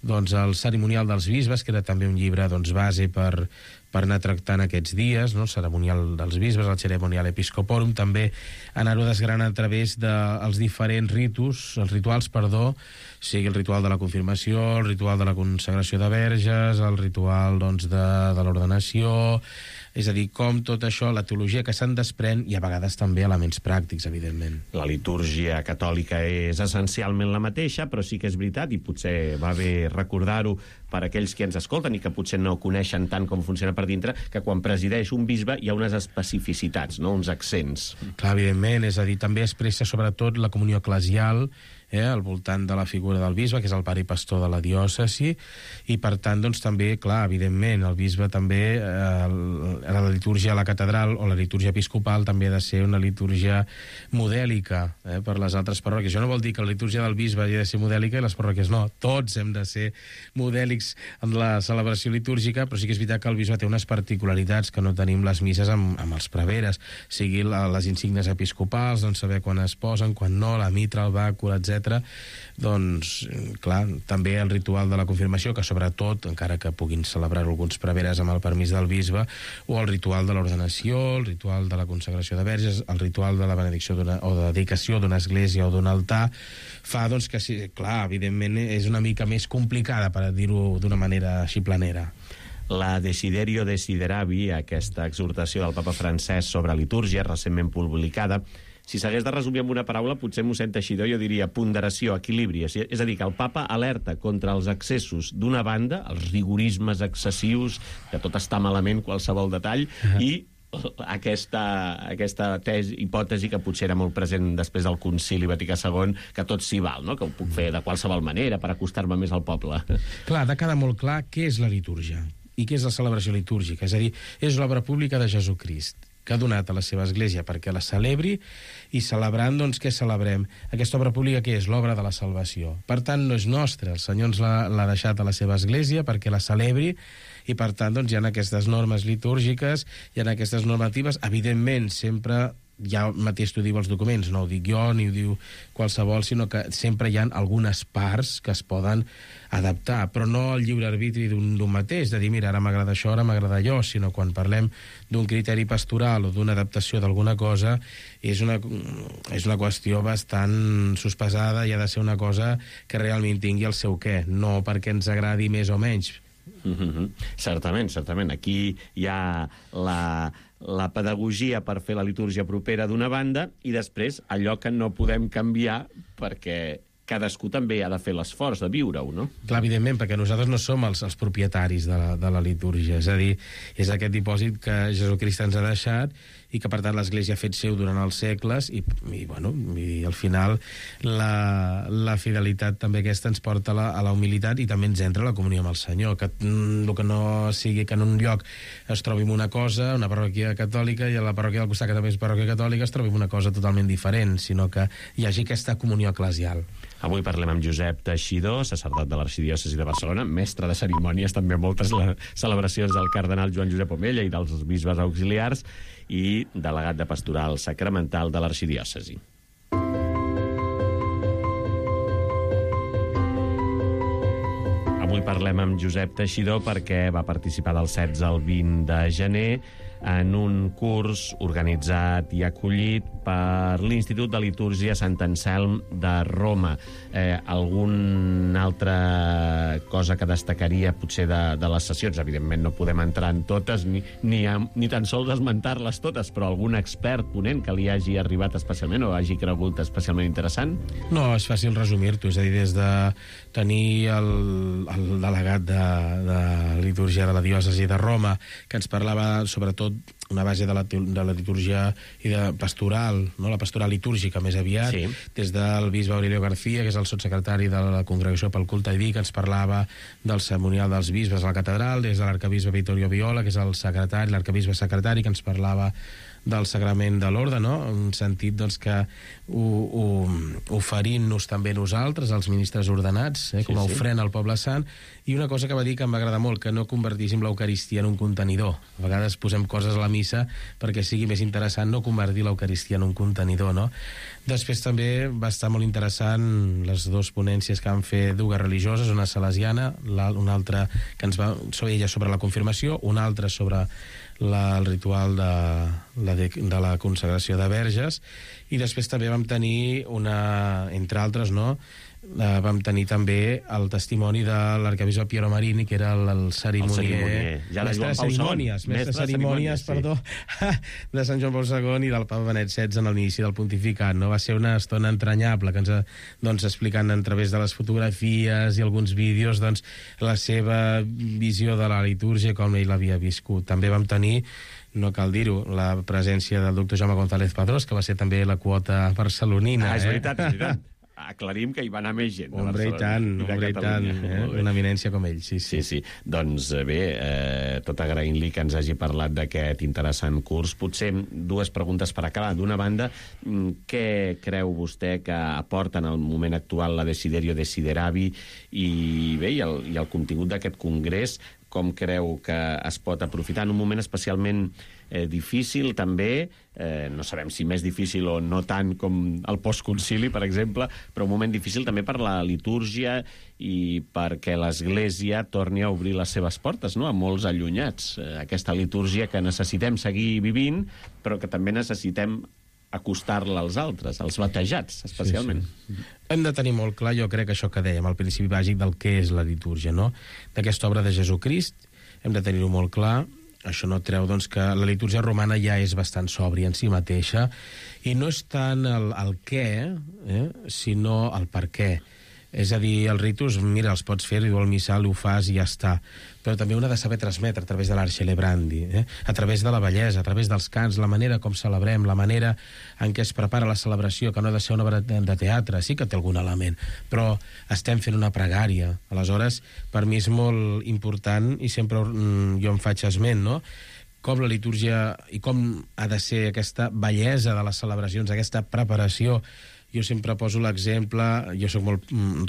doncs, el cerimonial dels bisbes, que era també un llibre doncs, base per anar tractant aquests dies, no? El cerimonial dels bisbes, el Ceremonial Episcoporum, també anar-ho desgranant a través dels diferents rituals, sigui el ritual de la confirmació, el ritual de la consagració de verges, el ritual doncs, de l'ordenació, és a dir, com tot això, la teologia que se'n desprèn, i a vegades també elements pràctics, evidentment. La litúrgia catòlica és essencialment la mateixa, però sí que és veritat, i potser va bé recordar-ho per aquells que ens escolten i que potser no coneixen tant com funciona per dintre, que quan presideix un bisbe hi ha unes especificitats, no? Uns accents. Clar, evidentment, és a dir, també expressa sobretot la comunió eclesial, al voltant de la figura del bisbe, que és el pare i pastor de la diòcesi, i per tant, doncs, també, clar, evidentment, el bisbe també, la litúrgia a la catedral o la litúrgia episcopal també ha de ser una litúrgia modèlica per les altres parròquies. Això no vol dir que la litúrgia del bisbe hagi de ser modèlica i les parròquies no. Tots hem de ser modèlics en la celebració litúrgica, però sí que és veritat que el bisbe té unes particularitats que no tenim les misses amb els preveres, sigui les insígnies episcopals, doncs saber quan es posen, quan no, la mitra, el bàcul, etc. Doncs, clar, també el ritual de la confirmació, que sobretot, encara que puguin celebrar alguns preveres amb el permís del bisbe, o el ritual de l'ordenació, el ritual de la consagració de verges, el ritual de la benedicció o de dedicació d'una església o d'un altar, fa doncs que, sí, clar, evidentment és una mica més complicada, per dir-ho d'una manera així planera. La Desiderio Desideravi, aquesta exhortació del papa Francesc sobre litúrgia, recentment publicada, si s'hagués de resumir amb una paraula, potser m'ho sent aixidor, jo diria ponderació, equilibri. És a dir, que el papa alerta contra els excessos d'una banda, els rigorismes excessius, que tot està malament, qualsevol detall, i aquesta hipòtesi que potser era molt present després del Concili Vaticà II, que tot s'hi val, no? Que ho puc fer de qualsevol manera per acostar-me més al poble. Clar, ha de quedar molt clar què és la litúrgia i què és la celebració litúrgica. És a dir, és l'obra pública de Jesucrist, que ha donat a la seva església perquè la celebri, i celebrant, doncs, què celebrem? Aquesta obra pública què és? L'obra de la salvació. Per tant, no és nostra, el Senyor ens l'ha deixat a la seva església perquè la celebri, i per tant, doncs, hi ha aquestes normes litúrgiques, hi ha aquestes normatives, evidentment, sempre ja mateix t'ho diu els documents, no ho dic jo ni ho diu qualsevol, sinó que sempre hi ha algunes parts que es poden adaptar, però no el lliure arbitri d'un mateix, de dir, mira, ara m'agrada això, ara m'agrada allò, sinó quan parlem d'un criteri pastoral o d'una adaptació d'alguna cosa, és una qüestió bastant sospesada i ha de ser una cosa que realment tingui el seu què, no perquè ens agradi més o menys. Certament. Aquí hi ha la pedagogia per fer la litúrgia propera d'una banda, i després allò que no podem canviar perquè cadascú també ha de fer l'esforç de viure-ho, no? Clar, evidentment, perquè nosaltres no som els propietaris de la litúrgia, és a dir, és aquest dipòsit que Jesucrist ens ha deixat i que, per tant, l'Església ha fet seu durant els segles i al final la fidelitat també aquesta ens porta a la humilitat i també ens entra a la comunió amb el Senyor, que el que no sigui que en un lloc es trobi una cosa, una parròquia catòlica, i a la parròquia del costat, que també és parròquia catòlica, es trobi una cosa totalment diferent, sinó que hi hagi aquesta comunió eclesial. Avui parlem amb Josep Teixidor, sacerdot de l'Arxidiòcesi de Barcelona, mestre de cerimònies, també moltes celebracions del cardenal Joan Josep Omella i dels bisbes auxiliars, i delegat de Pastoral Sacramental de l'Arxidiòcesi. Avui parlem amb Josep Teixidor perquè va participar del 16 al 20 de gener en un curs organitzat i acollit per l'Institut de Litúrgia Sant Anselm de Roma. Alguna altra cosa que destacaria potser de les sessions? Evidentment no podem entrar en totes ni tan sols esmentar-les totes, però algun expert ponent que li hagi arribat especialment o hagi cregut especialment interessant? No, és fàcil resumir-t'ho, és a dir, des de tenir el delegat de litúrgia de la diòcesi de Roma, que ens parlava sobretot una base de la litúrgia i de pastoral, no? La pastoral litúrgica més aviat, sí. Des del bisbe Aurelio García, que és el sotssecretari de la Congregació pel Culte Diví, que ens parlava del ceremonial dels bisbes a la catedral, des de l'arcabisbe Vittorio Viola, que és el secretari, l'arcabisbe secretari, que ens parlava del sagrament de l'orde, no? En sentit doncs, que oferint-nos també nosaltres, els ministres ordenats, com a ofrena al poble sant, i una cosa que va dir que em va agradar molt, que no convertíssim l'Eucaristia en un contenidor. A vegades posem coses a la missa perquè sigui més interessant no convertir l'Eucaristia en un contenidor, no? Després també va estar molt interessant les dues ponències que van fer dues religioses, una salesiana, una altra que ens va sobre ella sobre la confirmació, una altra sobre el ritual de la consagració de verges, i després també vam tenir entre altres, no? Vam tenir també el testimoni de l'arcabisbe Piero Marini, que era el cerimonier. Mestre de cerimònies, perdó, de Sant Joan Paul II i del Papa Benet XVI en l'inici del pontificat. No? Va ser una estona entranyable, que ens explicant a través de les fotografies i alguns vídeos la seva visió de la litúrgia, com ell l'havia viscut. També vam tenir, no cal dir-ho, la presència del doctor Jaume González Padrós, que va ser també la quota barcelonina. És veritat, és veritat. Aclarim que hi va anar més gent. Hombre, i tant, una eminència com ell, sí. Doncs bé, tot agraint-li que ens hagi parlat d'aquest interessant curs. Potser dues preguntes per acabar. D'una banda, què creu vostè que aporta en el moment actual la Desiderio Desideravi i el contingut d'aquest congrés? Com creu que es pot aprofitar en un moment especialment difícil, també, no sabem si més difícil o no tant com el postconcili, per exemple, però un moment difícil també per la litúrgia i perquè l'Església torni a obrir les seves portes, no?, a molts allunyats. Aquesta litúrgia que necessitem seguir vivint, però que també necessitem acostar-la als altres, als batejats, especialment. Sí. Hem de tenir molt clar, jo crec, això que dèiem, el principi bàsic del que és la litúrgia, no? D'aquesta obra de Jesucrist, hem de tenir-ho molt clar. Això no treu, doncs, que la litúrgia romana ja és bastant sòbria en si mateixa, i no és tant el què, sinó el per què. És a dir, els ritus, mira, els pots fer, diu el missal, ho fas i ja està. Però també un ha de saber transmetre a través de l'art celebrandi, a través de la bellesa, a través dels cants, la manera com celebrem, la manera en què es prepara la celebració, que no ha de ser una obra de teatre, sí que té algun element, però estem fent una pregària. Aleshores, per mi és molt important, i sempre jo em faig esment, no?, com la litúrgia i com ha de ser aquesta bellesa de les celebracions, aquesta preparació. Jo sempre poso l'exemple,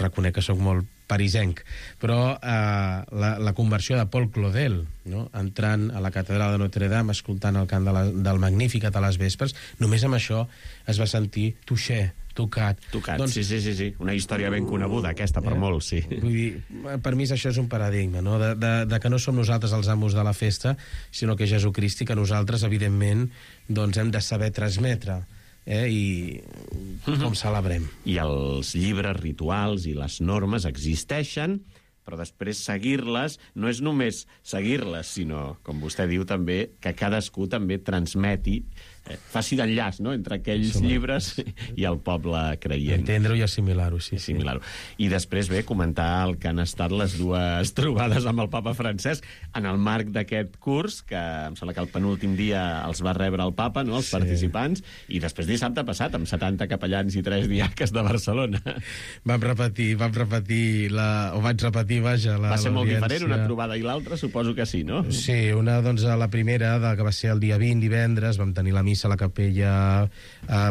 reconec que soc molt parisenc, però la conversió de Paul Claudel, no? Entrant a la catedral de Notre Dame, escoltant el cant del Magnificat a les vespres, només amb això es va sentir tocat. Doncs, sí. Una història ben coneguda, aquesta, per molts, sí. Vull dir, per mi això és un paradigma, no? De que no som nosaltres els amos de la festa, sinó que Jesucrist, i que nosaltres, evidentment, doncs hem de saber transmetre. I com celebrem. I els llibres rituals i les normes existeixen, però després seguir-les no és només seguir-les, sinó, com vostè diu també, que cadascú també transmeti faci d'enllaç, no?, entre aquells llibres i el poble creient. Entendre-ho i assimilar-ho, sí. I després, bé, comentar el que han estat les dues trobades amb el papa Francesc en el marc d'aquest curs, que em sembla que el penúltim dia els va rebre el papa, no?, els participants, i després dissabte passat, amb 70 capellans i 3 diaques de Barcelona. Vaig repetir, vaja, Va ser molt diferent una trobada i l'altra, suposo que sí, no? Sí, una, doncs, la primera, que va ser el dia 20, divendres, vam tenir la missa a la capella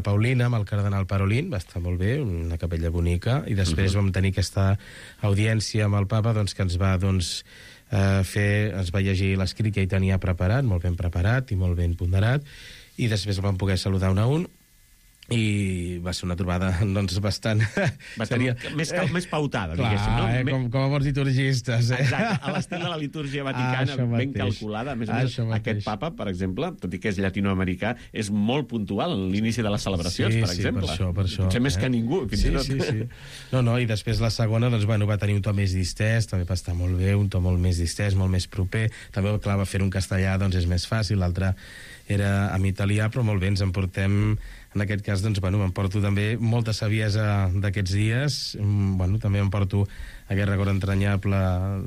Paulina, amb el cardenal Parolin, va estar molt bé, una capella bonica, i després vam tenir aquesta audiència amb el papa, doncs, que ens va, ens va llegir l'escrit que ell tenia preparat, molt ben preparat i molt ben ponderat, i després el vam poder saludar un a un, i va ser una trobada, doncs, bastant... Més pautada, diguéssim, no? Com a bons liturgistes. Exacte, a l'estil de la litúrgia vaticana, ben calculada. A més a més, aquest papa, per exemple, tot i que és llatinoamericà, és molt puntual en l'inici de les celebracions, per exemple. Sí, per això. Potser més que ningú, fins i tot. Sí. No, i després la segona, doncs, bueno, va tenir un to més distès, també va estar molt bé, un to molt més distès, molt més proper. També, clar, va fer un castellà, doncs és més fàcil, l'altre era en italià, però molt bé, ens en portem... En aquest cas, doncs, bueno, m'emporto també molta saviesa d'aquests dies. Bueno, també m'emporto aquest record entranyable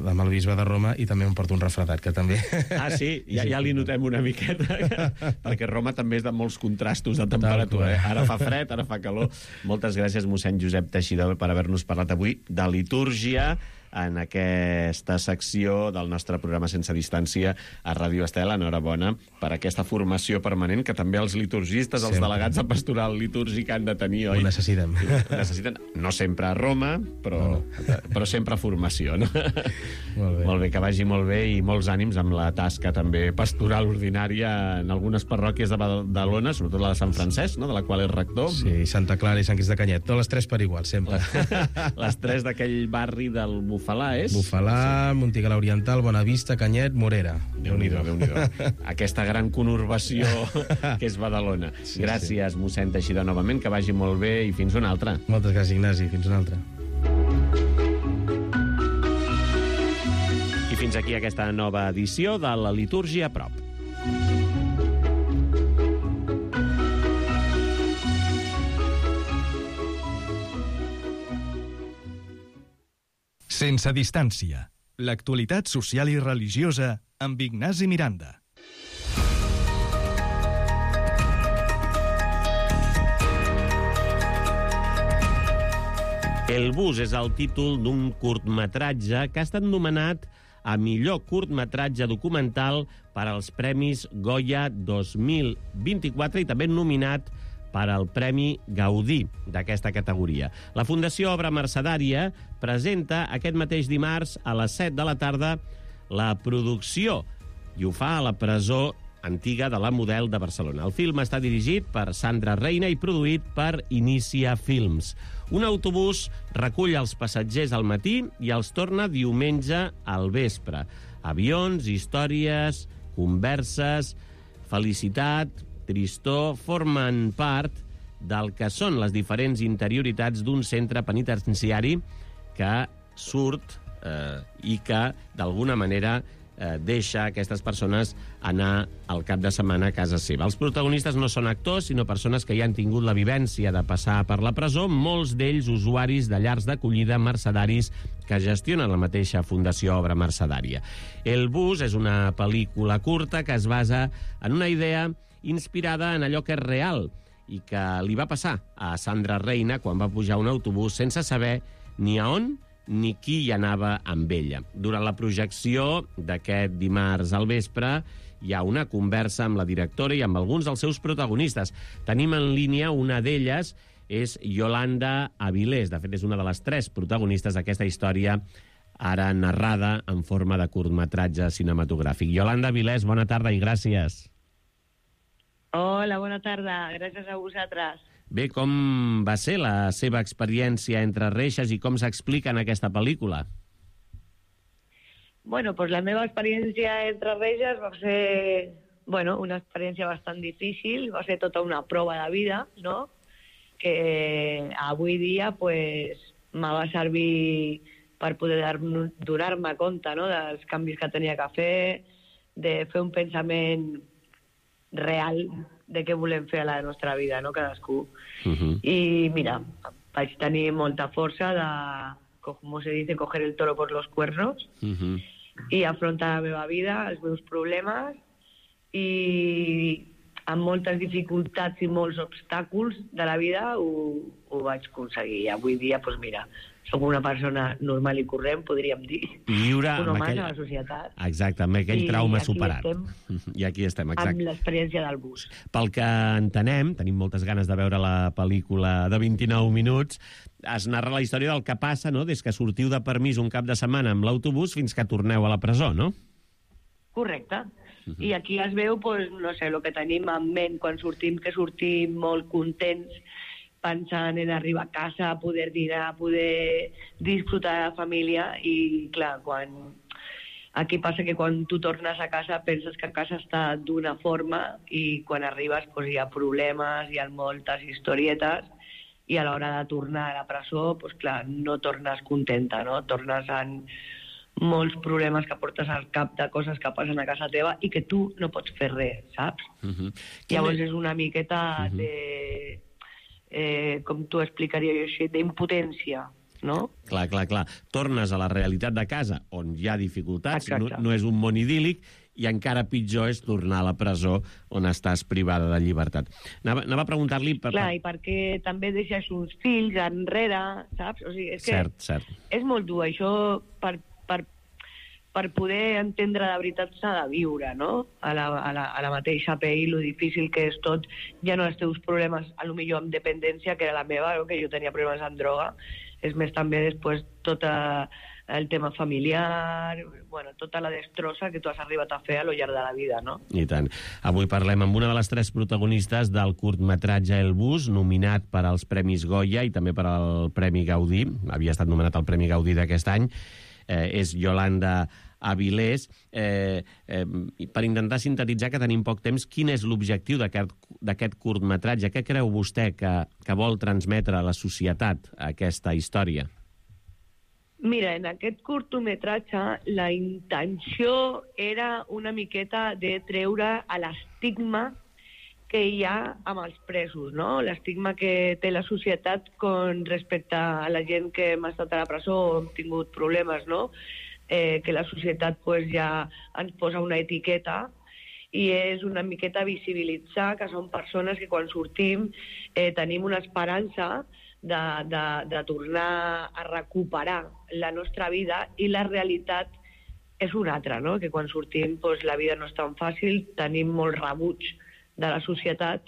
amb el bisbe de Roma i també m'emporto un refredat, que també... Ah, sí? Ja li notem una miqueta, perquè Roma també és de molts contrastos de temperatura. Ara fa fred, ara fa calor. Moltes gràcies, mossèn Josep Teixidor, per haver-nos parlat avui de litúrgia en aquesta secció del nostre programa Sense Distància a Ràdio Estel. Enhorabona per aquesta formació permanent que també els liturgistes, els delegats de pastoral litúrgica han de tenir, oi? Ho necessitem. No sempre a Roma, però sempre formació, no? Molt bé, que vagi molt bé i molts ànims amb la tasca també pastoral ordinària en algunes parròquies de Badalona, sobretot la de Sant Francesc, no?, de la qual és rector. Sí, Santa Clara i Sant Crist de Canyet, totes les tres per igual, sempre. Les tres d'aquell barri del Bufalà, és? Bufalà, Montigalà Oriental, Bonavista, Canyet, Morera. Déu-n'hi-do. Aquesta gran conurbació que és Badalona. Gràcies, mossèn Teixidor, novament, que vagi molt bé i fins una altra. Moltes gràcies, Ignasi. Fins una altra. I fins aquí aquesta nova edició de la Litúrgia a prop. Sense Distància. L'actualitat social i religiosa amb Ignasi Miranda. El bus és el títol d'un curtmetratge que ha estat nomenat a millor curtmetratge documental per als Premis Goya 2024 i també nominat per al Premi Gaudí d'aquesta categoria. La Fundació Obra Mercedària presenta aquest mateix dimarts a les 7 de la tarda la producció i ho fa a la presó antiga de la Model de Barcelona. El film està dirigit per Sandra Reina i produït per Inicia Films. Un autobús recull els passatgers al matí i els torna diumenge al vespre. Avions, històries, converses, felicitat, tristor, formen part del que són les diferents interioritats d'un centre penitenciari que surt i que, d'alguna manera, deixa aquestes persones anar al cap de setmana a casa seva. Els protagonistes no són actors, sinó persones que ja han tingut la vivència de passar per la presó, molts d'ells usuaris de llars d'acollida mercedaris que gestionen la mateixa Fundació Obra Mercedària. El bus és una pel·lícula curta que es basa en una idea inspirada en allò que és real i que li va passar a Sandra Reina quan va pujar a un autobús sense saber ni a on ni qui hi anava amb ella. Durant la projecció d'aquest dimarts al vespre hi ha una conversa amb la directora i amb alguns dels seus protagonistes. Tenim en línia una d'elles, és Yolanda Avilés. De fet, és una de les 3 protagonistes d'aquesta història ara narrada en forma de curtmetratge cinematogràfic. Yolanda Avilés, bona tarda i gràcies. Hola, bona tarda. Gràcies a vosaltres. Bé, com va ser la seva experiència entre reixes i com s'explica en aquesta pel·lícula? Bueno, pues la meva experiència entre reixes va ser, bueno, una experiència bastant difícil, va ser tota una prova de vida, no?, que avui dia pues, me va servir per poder donar-me compte, no?, dels canvis que tenia que fer, de fer un pensament real de què volem fer a la nostra vida, no? Cadascú. I mira, vaig tenir molta força de, com se dice, coger el toro por los cuernos i afrontar la meva vida, els meus problemes, i amb moltes dificultats i molts obstacles de la vida ho vaig aconseguir. I avui dia, doncs mira, soc una persona normal i corrent, podríem dir. Lliure un home aquell... a la societat. Exacte, amb aquell trauma superat. I aquí estem, exacte. Amb l'experiència del bus. Pel que entenem, tenim moltes ganes de veure la pel·lícula de 29 minuts, es narra la història del que passa, no?, des que sortiu de permís un cap de setmana amb l'autobús fins que torneu a la presó, no? Correcte. I aquí es veu, doncs, no sé, el que tenim en ment quan sortim, que sortim molt contents, pensant en arribar a casa, poder dinar, poder disfrutar de la família, i clar, aquí passa que quan tu tornes a casa penses que a casa està d'una forma i quan arribes doncs, hi ha problemes, hi ha moltes historietes, i a l'hora de tornar a la presó, doncs clar, no tornes contenta, no? Tornes amb molts problemes que portes al cap de coses que passen a casa teva i que tu no pots fer res, saps? Llavors és una miqueta de... com t'ho explicaria jo així, d'impotència, no? Clar. Tornes a la realitat de casa, on hi ha dificultats, no és un món idíl·lic, i encara pitjor és tornar a la presó, on estàs privada de llibertat. Anava a preguntar-li... Clar, i perquè també deixes uns fills enrere, saps? O sigui, és que cert. És molt dur, això per poder entendre de veritat s'ha de viure, no? A la mateixa pell, lo difícil que és tot, ja no els teus problemes, a lo millor amb dependència, que era la meva, no? Que jo tenia problemes amb droga, és més també després tot el tema familiar, bueno, tota la destrossa que tu has arribat a fer a lo llarg de la vida, no? I tant. Avui parlem amb una de les 3 protagonistes del curtmetratge El Bus, nominat per als Premis Goya i també per al Premi Gaudí, havia estat nomenat al Premi Gaudí d'aquest any, és Yolanda Avilés. Per intentar sintetitzar, que tenim poc temps, quin és l'objectiu d'aquest curtmetratge? Què creu vostè que vol transmetre a la societat aquesta història? Mira, en aquest curtmetratge la intenció era una miqueta de treure l'estigma que hi ha amb els presos, no? L'estigma que té la societat respecte a la gent que hem estat a la presó o hem tingut problemes, no? Que la societat pues, ja ens posa una etiqueta, i és una miqueta visibilitzar que són persones que quan sortim tenim una esperança de tornar a recuperar la nostra vida, i la realitat és una altra, no? Que quan sortim pues, la vida no és tan fàcil, tenim molt rebuig de la societat,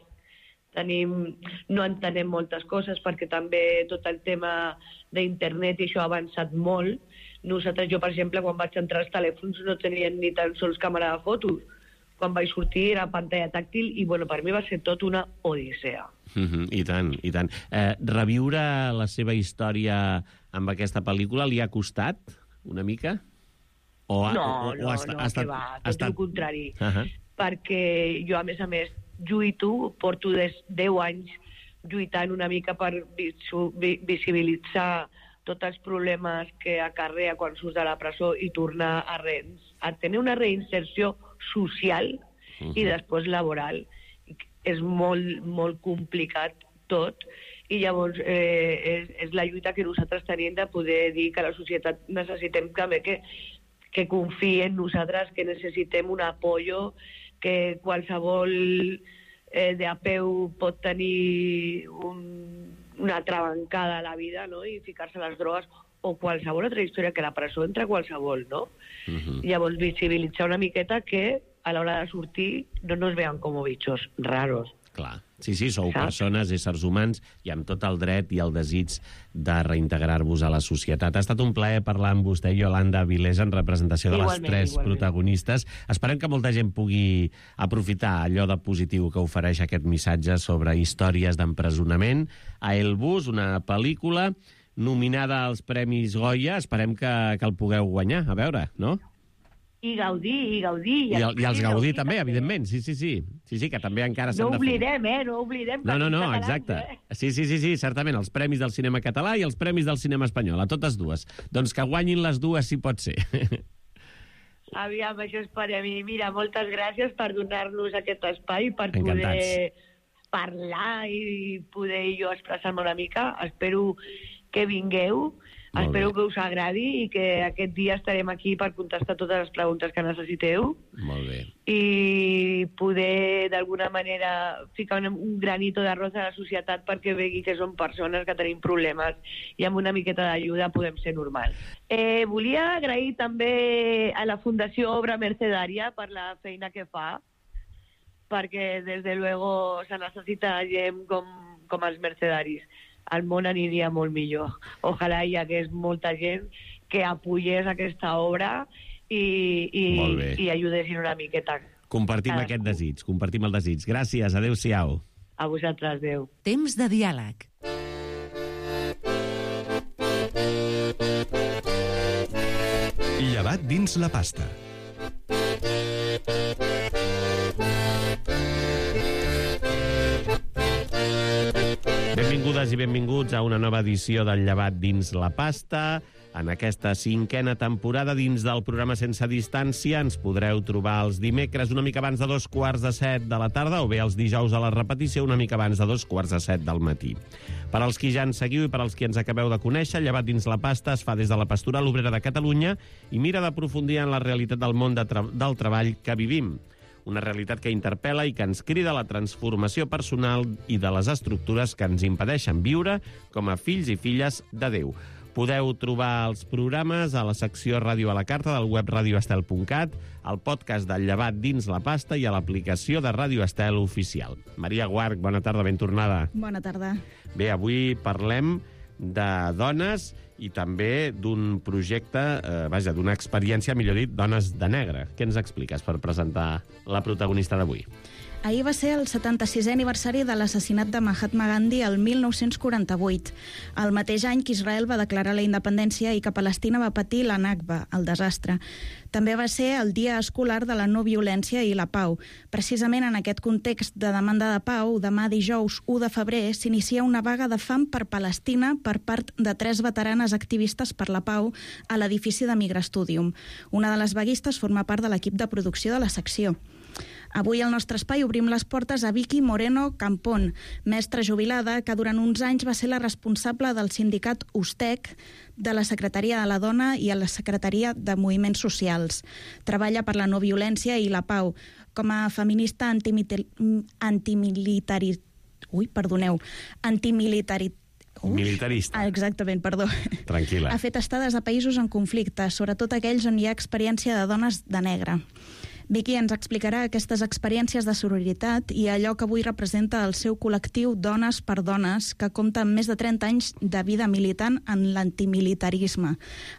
no entenem moltes coses perquè també tot el tema d'internet i això ha avançat molt. Jo, per exemple, quan vaig entrar als telèfons no tenien ni tan sols càmera de fotos. Quan vaig sortir era pantalla tàctil i bueno, per mi va ser tot una odissea. I tant, i tant. Reviure la seva història amb aquesta pel·lícula li ha costat una mica? No, que va, tot el contrari. Perquè jo, a més, porto 10 anys lluitant una mica per visibilitzar tots els problemes que acarrea quan surts de la presó i tornar a tenir una reinserció social i després laboral. És molt, molt complicat tot, i llavors és la lluita que nosaltres tenim de poder dir que la societat necessitem també que confiï en nosaltres, que necessitem un apoyo, que qualsevol de a peu pot tenir una travancada a la vida, no? I ficar-se a les drogues, o qualsevol altra història, que la presó entra qualsevol, no? Llavors visibilitzar una miqueta que a l'hora de sortir no nos vean com bichos raros. Clar. Sí, sou persones, éssers humans, i amb tot el dret i el desig de reintegrar-vos a la societat. Ha estat un plaer parlar amb vostè, Yolanda Avilés, en representació de les 3 protagonistes. Esperem que molta gent pugui aprofitar allò de positiu que ofereix aquest missatge sobre històries d'empresonament. A El Bus, una pel·lícula nominada als Premis Goya. Esperem que el pugueu guanyar. A veure, no? I gaudir. I els gaudir també, evidentment. Sí, que també encara s'han de fer. No oblidem. No, exacte. Sí, certament, els Premis del Cinema Català i els Premis del Cinema Espanyol, a totes dues. Doncs que guanyin les dues, si pot ser. Aviam, això esperem. I mira, moltes gràcies per donar-nos aquest espai, per Encantats. poder parlar i poder jo expressar-me una mica. Espero que vingueu, espero que us agradi i que aquest dia estarem aquí per contestar totes les preguntes que necessiteu Molt bé. i poder d'alguna manera ficar un granito d'arròs a la societat perquè vegi que som persones que tenim problemes i amb una miqueta d'ajuda podem ser normals. Volia agrair també a la Fundació Obra Mercedària per la feina que fa, perquè des de luego se necessita gent com els mercedaris. El món aniria molt millor. Ojalà hi hagués molta gent que apoyés aquesta obra i ajudessin una miqueta. Compartim aquest desig, compartim el desig. Gràcies, adéu-siau. A vosaltres, adéu. Temps de diàleg. Llevat dins la pasta. Benvingudes i benvinguts a una nova edició del Llevat dins la pasta. En aquesta 5a temporada dins del programa Sense Distància ens podreu trobar els dimecres una mica abans de 6:45 de la tarda o bé els dijous a la repetició una mica abans de 2:45 del matí. Per als qui ja ens seguiu i per als qui ens acabeu de conèixer, Llevat dins la pasta es fa des de la Pastoral Obrera de Catalunya i mira d'aprofundir en la realitat del món del treball que vivim. Una realitat que interpel·la i que ens crida a la transformació personal i de les estructures que ens impedeixen viure com a fills i filles de Déu. Podeu trobar els programes a la secció Ràdio a la Carta del web radioestel.cat, al podcast del Llevat dins la pasta i a l'aplicació de Ràdio Estel oficial. Maria Guarch, bona tarda, ben tornada. Bona tarda. Bé, avui parlem de dones i també d'un projecte, d'una experiència, millor dit, Dones de Negre. Què ens expliques per presentar la protagonista d'avui? Ahir va ser el 76è aniversari de l'assassinat de Mahatma Gandhi el 1948, el mateix any que Israel va declarar la independència i que Palestina va patir la Nakba, el desastre. També va ser el Dia Escolar de la No Violència i la Pau. Precisament en aquest context de demanda de pau, demà dijous 1 de febrer s'inicia una vaga de fam per Palestina per part de 3 veteranes activistes per la pau a l'edifici de Migrastudium. Una de les vaguistes forma part de l'equip de producció de la secció. Avui al nostre espai obrim les portes a Vicky Moreno Campón, mestra jubilada que durant uns anys va ser la responsable del sindicat USTEC, de la Secretaria de la Dona i a la Secretaria de Moviments Socials. Treballa per la no violència i la pau. Com a feminista Militarista. Exactament, perdó. Tranquil·la. Ha fet estades a països en conflicte, sobretot aquells on hi ha experiència de dones de negre. Vicky ens explicarà aquestes experiències de sororitat i allò que avui representa el seu col·lectiu Dones per Dones, que compta amb més de 30 anys de vida militant en l'antimilitarisme,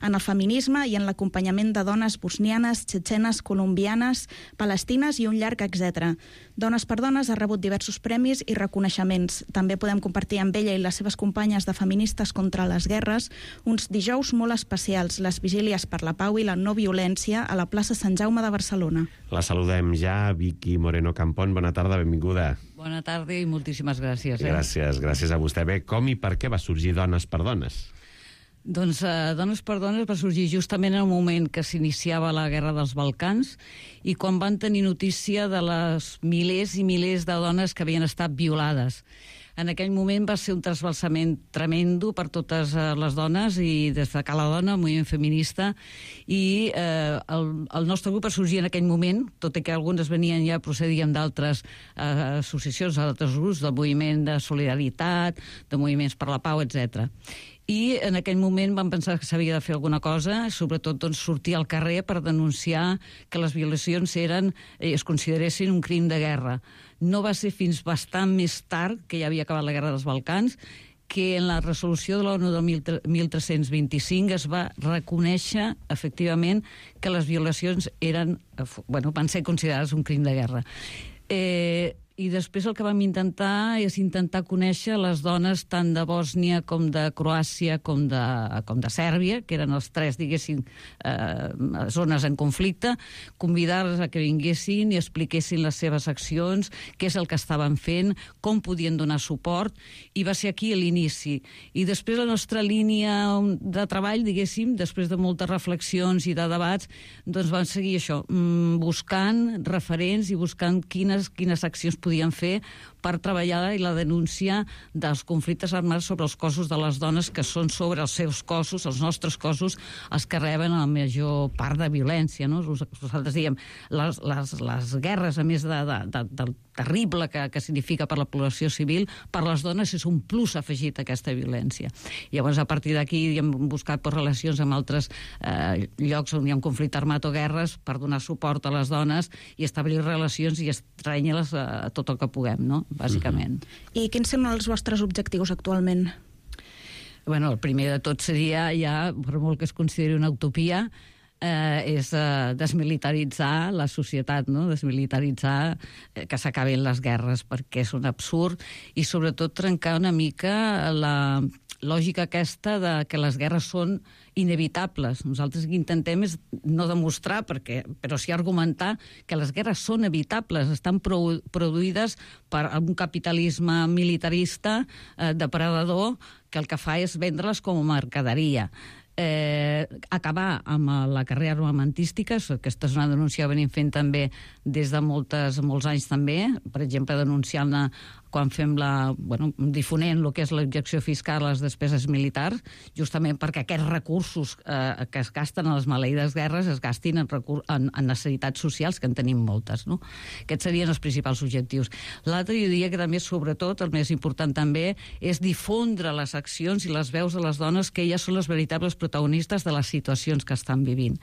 en el feminisme i en l'acompanyament de dones bosnianes, txetxenes, colombianes, palestines i un llarg etc. Dones per Dones ha rebut diversos premis i reconeixements. També podem compartir amb ella i les seves companyes de feministes contra les guerres uns dijous molt especials, les vigílies per la pau i la no violència a la plaça Sant Jaume de Barcelona. La saludem ja, Vicky Moreno Campón. Bona tarda, benvinguda. Bona tarda i moltíssimes gràcies. Gràcies a vostè. Bé, com i per què va sorgir Dones per Dones? Doncs Dones per Dones va sorgir justament en el moment que s'iniciava la Guerra dels Balcans i quan van tenir notícia de les milers i milers de dones que havien estat violades. En aquell moment va ser un trasbalsament tremendo per totes les dones i destacar la dona, el moviment feminista, i el nostre grup va sorgir en aquell moment, tot i que algunes venien ja, procedien d'altres associacions, d'altres grups, del moviment de solidaritat, de moviments per la pau, etc. I en aquell moment vam pensar que s'havia de fer alguna cosa, sobretot doncs, sortir al carrer per denunciar que les violacions es consideressin un crim de guerra. No va ser fins bastant més tard, que ja havia acabat la Guerra dels Balcans, que en la resolució de l'ONU del 1325 es va reconèixer efectivament que les violacions van ser considerades un crim de guerra. I després el que vam intentar és intentar conèixer les dones tant de Bòsnia com de Croàcia com de Sèrbia, que eren els tres, diguéssim, zones en conflicte, convidar-les a que vinguessin i expliquessin les seves accions, què és el que estaven fent, com podien donar suport, i va ser aquí l'inici. I després la nostra línia de treball, diguéssim, després de moltes reflexions i de debats, doncs vam seguir això, buscant referents i buscant quines accions podien fer per treballar la denúncia dels conflictes armats sobre els cossos de les dones, que són sobre els seus cossos, els nostres cossos, els que reben la major part de violència, no? Nosaltres diem, les guerres, a més del terrible que significa per la població civil, per les dones és un plus afegit a aquesta violència. Llavors, a partir d'aquí, hem buscat relacions amb altres llocs on hi ha un conflicte armat o guerres per donar suport a les dones i establir relacions i estrènyer-les a tot el que puguem, no? Bàsicament. I quins són els vostres objectius actualment? Bueno, el primer de tot seria, ja, per molt que es consideri una utopia, és desmilitaritzar la societat, no? Desmilitaritzar que s'acabin les guerres, perquè és un absurd, i sobretot trencar una mica la lògica aquesta de que les guerres són inevitables. Nosaltres el que intentem és no demostrar, però sí argumentar que les guerres són evitables, estan produïdes per un capitalisme militarista depredador que el que fa és vendre-les com a mercaderia. Acabar amb la carrera armamentística, aquesta és una denúncia que venim fent també des de molts anys també, per exemple denunciant-la quan fem difonent el que és l'objecció fiscal a les despeses militars, justament perquè aquests recursos que es gasten a les maleïdes guerres es gastin en necessitats socials, que en tenim moltes, no? Aquests serien els principals objectius. L'altre, jo diria que també, sobretot, el més important també, és difondre les accions i les veus de les dones, que elles són les veritables protagonistes de les situacions que estan vivint.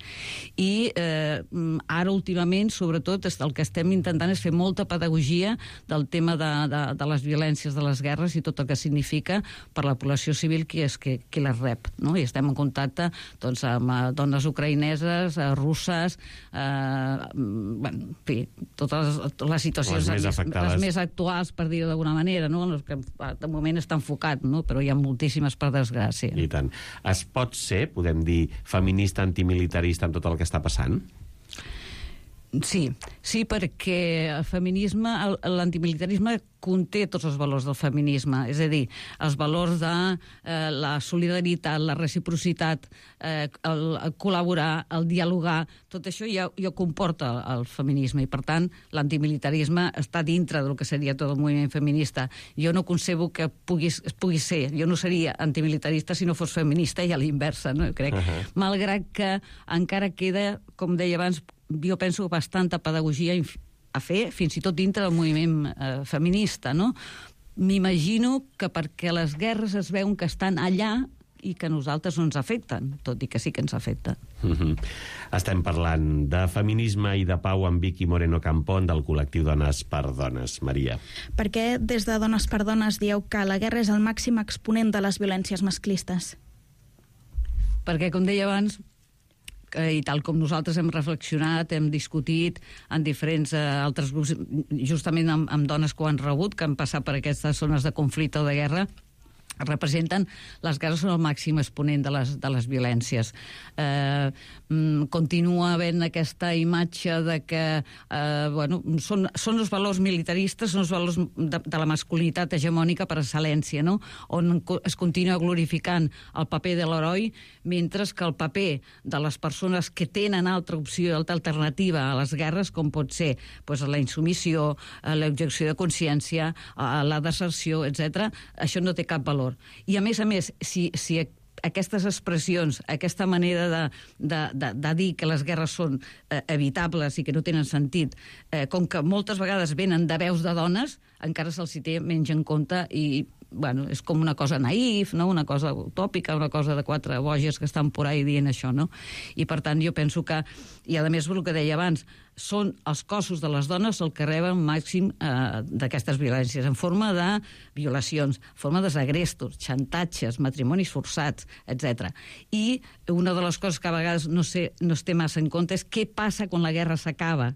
I ara, últimament, sobretot, el que estem intentant és fer molta pedagogia del tema de les violències de les guerres i tot el que significa per la població civil qui les rep, no? I estem en contacte amb dones ucraïneses, russes, en fi, totes les situacions les més actuals, per dir-ho d'alguna manera, no? Que de moment està enfocat, no? Però hi ha moltíssimes, per desgràcia. I tant. Es pot ser, podem dir, feminista antimilitarista amb tot el que està passant? Sí, perquè el feminisme, l'antimilitarisme conté tots els valors del feminisme, és a dir, els valors de la solidaritat, la reciprocitat, el col·laborar, el dialogar, tot això ja comporta el feminisme i, per tant, l'antimilitarisme està dintre del que seria tot el moviment feminista. Jo no concebo que pugui ser, jo no seria antimilitarista si no fos feminista i a l'inversa, no? Crec, malgrat que encara queda, com deia abans, jo penso bastanta pedagogia a fer, fins i tot dintre del moviment feminista, no? M'imagino que perquè les guerres es veuen que estan allà i que a nosaltres no ens afecten, tot i que sí que ens afecta. Estem parlant de feminisme i de pau amb Vicky Moreno Campón, del col·lectiu Dones per Dones. Maria. Per què des de Dones per Dones dieu que la guerra és el màxim exponent de les violències masclistes? Perquè, com deia abans, i tal com nosaltres hem reflexionat, hem discutit en diferents altres grups, justament amb dones que ho han rebut, que han passat per aquestes zones de conflicte o de guerra, representen, les guerres són el màxim exponent de les violències. Continua havent aquesta imatge de que són els valors militaristes, són els valors de la masculinitat hegemònica per excel·lència, no? On es continua glorificant el paper de l'heroi, mentre que el paper de les persones que tenen altra opció, altra alternativa a les guerres, com pot ser la insumissió, l'objecció de consciència, la deserció, etc., això no té cap valor. I a més, si aquestes expressions, aquesta manera de dir que les guerres són evitables i que no tenen sentit, com que moltes vegades venen de veus de dones, encara se'ls té menys en compte i és com una cosa naïf, no? Una cosa utòpica, una cosa de quatre boges que estan por ahí dient això, no? I per tant jo penso que, i a més el que deia abans, són els cossos de les dones el que reben màxim d'aquestes violències, en forma de violacions, en forma de segrestos, xantatges, matrimonis forçats, etc. I una de les coses que a vegades no es té massa en compte és què passa quan la guerra s'acaba.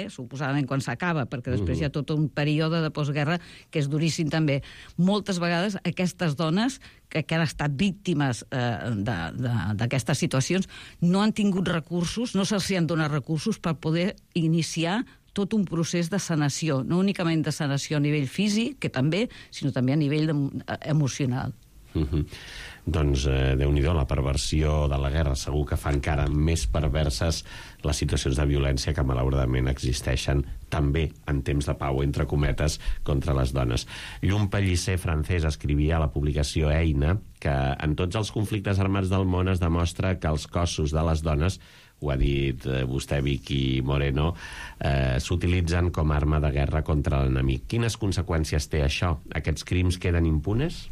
suposadament quan s'acaba, perquè després hi ha tot un període de postguerra que és duríssim també. Moltes vegades aquestes dones que han estat víctimes d'aquestes situacions no han tingut recursos, no se'ls han donat recursos per poder iniciar tot un procés de sanació, no únicament de sanació a nivell físic, que també, sinó també a nivell emocional. Doncs Déu-n'hi-do, la perversió de la guerra segur que fa encara més perverses les situacions de violència que malauradament existeixen també en temps de pau, entre cometes, contra les dones. Llum Pellicer, francès, escrivia a la publicació Eina que en tots els conflictes armats del món es demostra que els cossos de les dones, ho ha dit vostè, Vicky Moreno, s'utilitzen com a arma de guerra contra l'enemic. Quines conseqüències té això? Aquests crims queden impunes?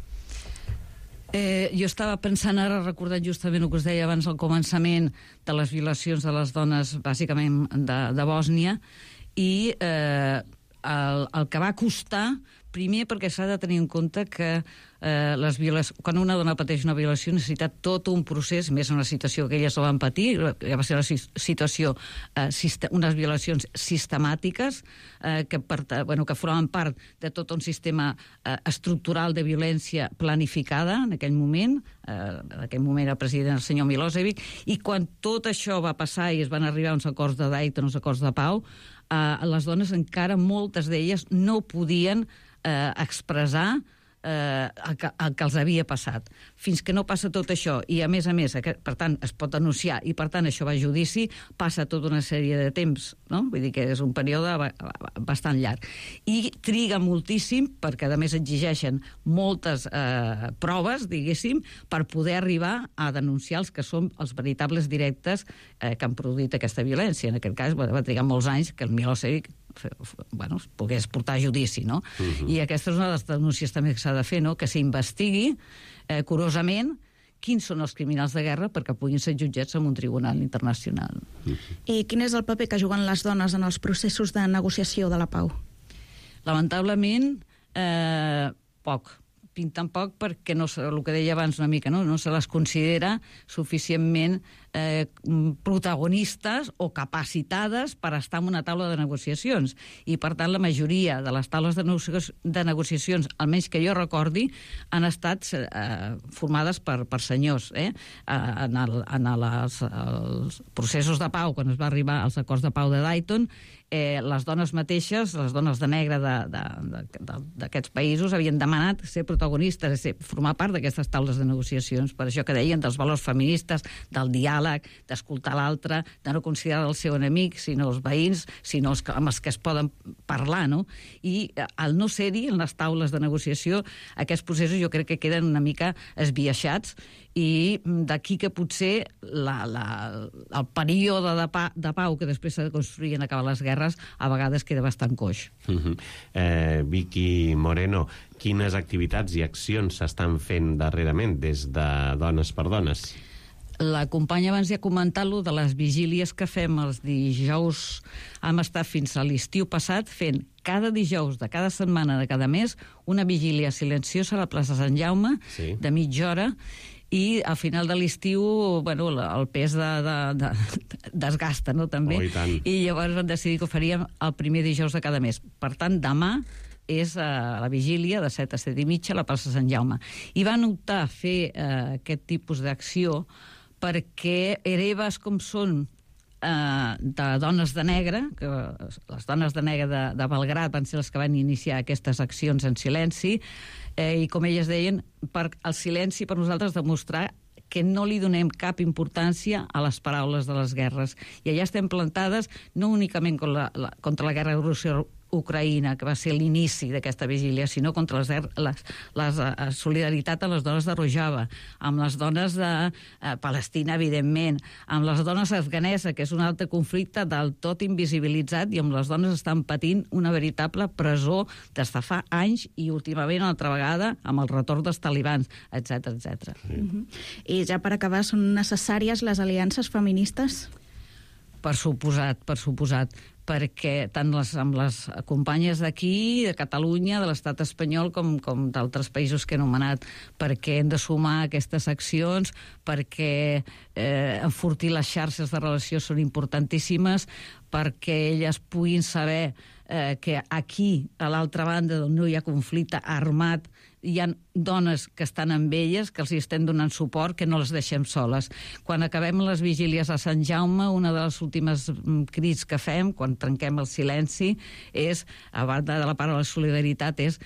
Jo estava pensant ara, recordant justament el que us deia abans al començament de les violacions de les dones, bàsicament de Bòsnia, i el que va costar, primer perquè s'ha de tenir en compte que quan una dona pateix una violació necessita tot un procés, més en una situació que elles no van patir, ja va ser una situació, unes violacions sistemàtiques que formaven part de tot un sistema estructural de violència planificada en aquell moment. En aquell moment era president el senyor Milosevic, i quan tot això va passar i es van arribar a uns acords de Dayton, uns acords de pau, les dones encara, moltes d'elles, no podien expressar el que els havia passat. Fins que no passa tot això, i a més, per tant, es pot denunciar, i per tant això va a judici, passa tota una sèrie de temps, no? Vull dir que és un període bastant llarg. I triga moltíssim, perquè a més exigeixen moltes proves, diguéssim, per poder arribar a denunciar els que són els veritables directes que han produït aquesta violència. En aquest cas va trigar molts anys que el Milosevic pogués portar a judici, no? I aquesta és una de les denúncies també que s'ha de fer, no? Que s'investigui curosament quins són els criminals de guerra perquè puguin ser jutjats en un tribunal internacional. I quin és el paper que juguen les dones en els processos de negociació de la pau? Lamentablement, poc. Pinten poc perquè, el que deia abans una mica, no se les considera suficientment protagonistes o capacitades per estar en una taula de negociacions. I, per tant, la majoria de les taules de negociacions, almenys que jo recordi, han estat formades per senyors. En els processos de pau, quan es va arribar als acords de pau de Dayton, les dones mateixes, les dones de negre d'aquests països, havien demanat ser protagonistes, formar part d'aquestes taules de negociacions. Per això que deien dels valors feministes, del diàleg, d'escoltar l'altre, de no considerar el seu enemic, sinó els veïns, sinó amb els que es poden parlar, no? I al no ser-hi, en les taules de negociació, aquests processos jo crec que queden una mica esbiaixats, i d'aquí que potser el període de pau que després s'ha de construir en acabar les guerres a vegades queda bastant coix. Vicky Moreno, quines activitats i accions s'estan fent darrerament des de Dones per Dones? La companya abans ja ha comentat de les vigílies que fem els dijous. Hem estat fins a l'estiu passat fent cada dijous de cada setmana de cada mes una vigília silenciosa a la plaça Sant Jaume, de mitja hora, i al final de l'estiu el pes desgasta, no, també? I llavors vam decidir que ho faríem el primer dijous de cada mes. Per tant, demà és la vigília de 7 a 7 i mitja a la plaça Sant Jaume. I van optar a fer aquest tipus d'acció perquè hereves com són de dones de negre, que les dones de negre de Belgrad van ser les que van iniciar aquestes accions en silenci, i com elles deien, el silenci per nosaltres demostrar que no li donem cap importància a les paraules de les guerres. I allà estem plantades no únicament contra la guerra de Rússia-Ucraïna, que va ser l'inici d'aquesta vigília, sinó contra la solidaritat amb les dones de Rojava, amb les dones de Palestina, evidentment, amb les dones afganeses, que és un altre conflicte del tot invisibilitzat, i amb les dones estan patint una veritable presó des de fa anys, i últimament una altra vegada amb el retorn dels talibans, etc etc. I ja per acabar, són necessàries les aliances feministes? Per suposat, perquè tant amb les companyes d'aquí, de Catalunya, de l'estat espanyol, com d'altres països que he anomenat, perquè hem de sumar aquestes accions, perquè enfortir les xarxes de relació són importantíssimes, perquè elles puguin saber que aquí, a l'altra banda, on no hi ha conflicte armat, hi ha dones que estan amb elles, que els hi estem donant suport, que no les deixem soles. Quan acabem les vigílies a Sant Jaume, una de les últimes crits que fem, quan trenquem el silenci, és, a banda de la part de la solidaritat, és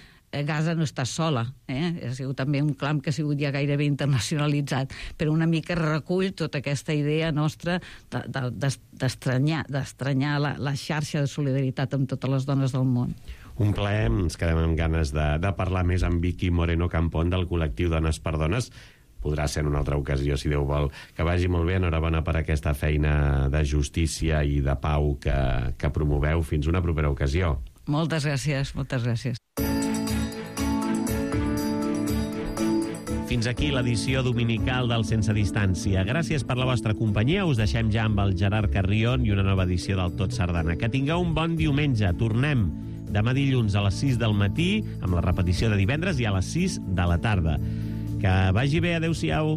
Gaza no està sola. Ha sigut també un clam que ha sigut ja gairebé internacionalitzat, però una mica recull tota aquesta idea nostra d'estranyar la xarxa de solidaritat amb totes les dones del món. Un plaer, ens quedem amb ganes de parlar més amb Vicky Moreno Campón del col·lectiu Dones per Dones. Podrà ser en una altra ocasió, si Déu vol. Que vagi molt bé, enhorabona per aquesta feina de justícia i de pau que promoveu. Fins una propera ocasió. Moltes gràcies, moltes gràcies. Fins aquí l'edició dominical del Sense Distància. Gràcies per la vostra companyia. Us deixem ja amb el Gerard Carrion i una nova edició del Tot Sardana. Que tingueu un bon diumenge. Tornem demà dilluns a les 6 del matí, amb la repetició de divendres, i a les 6 de la tarda. Que vagi bé, adeu-siau.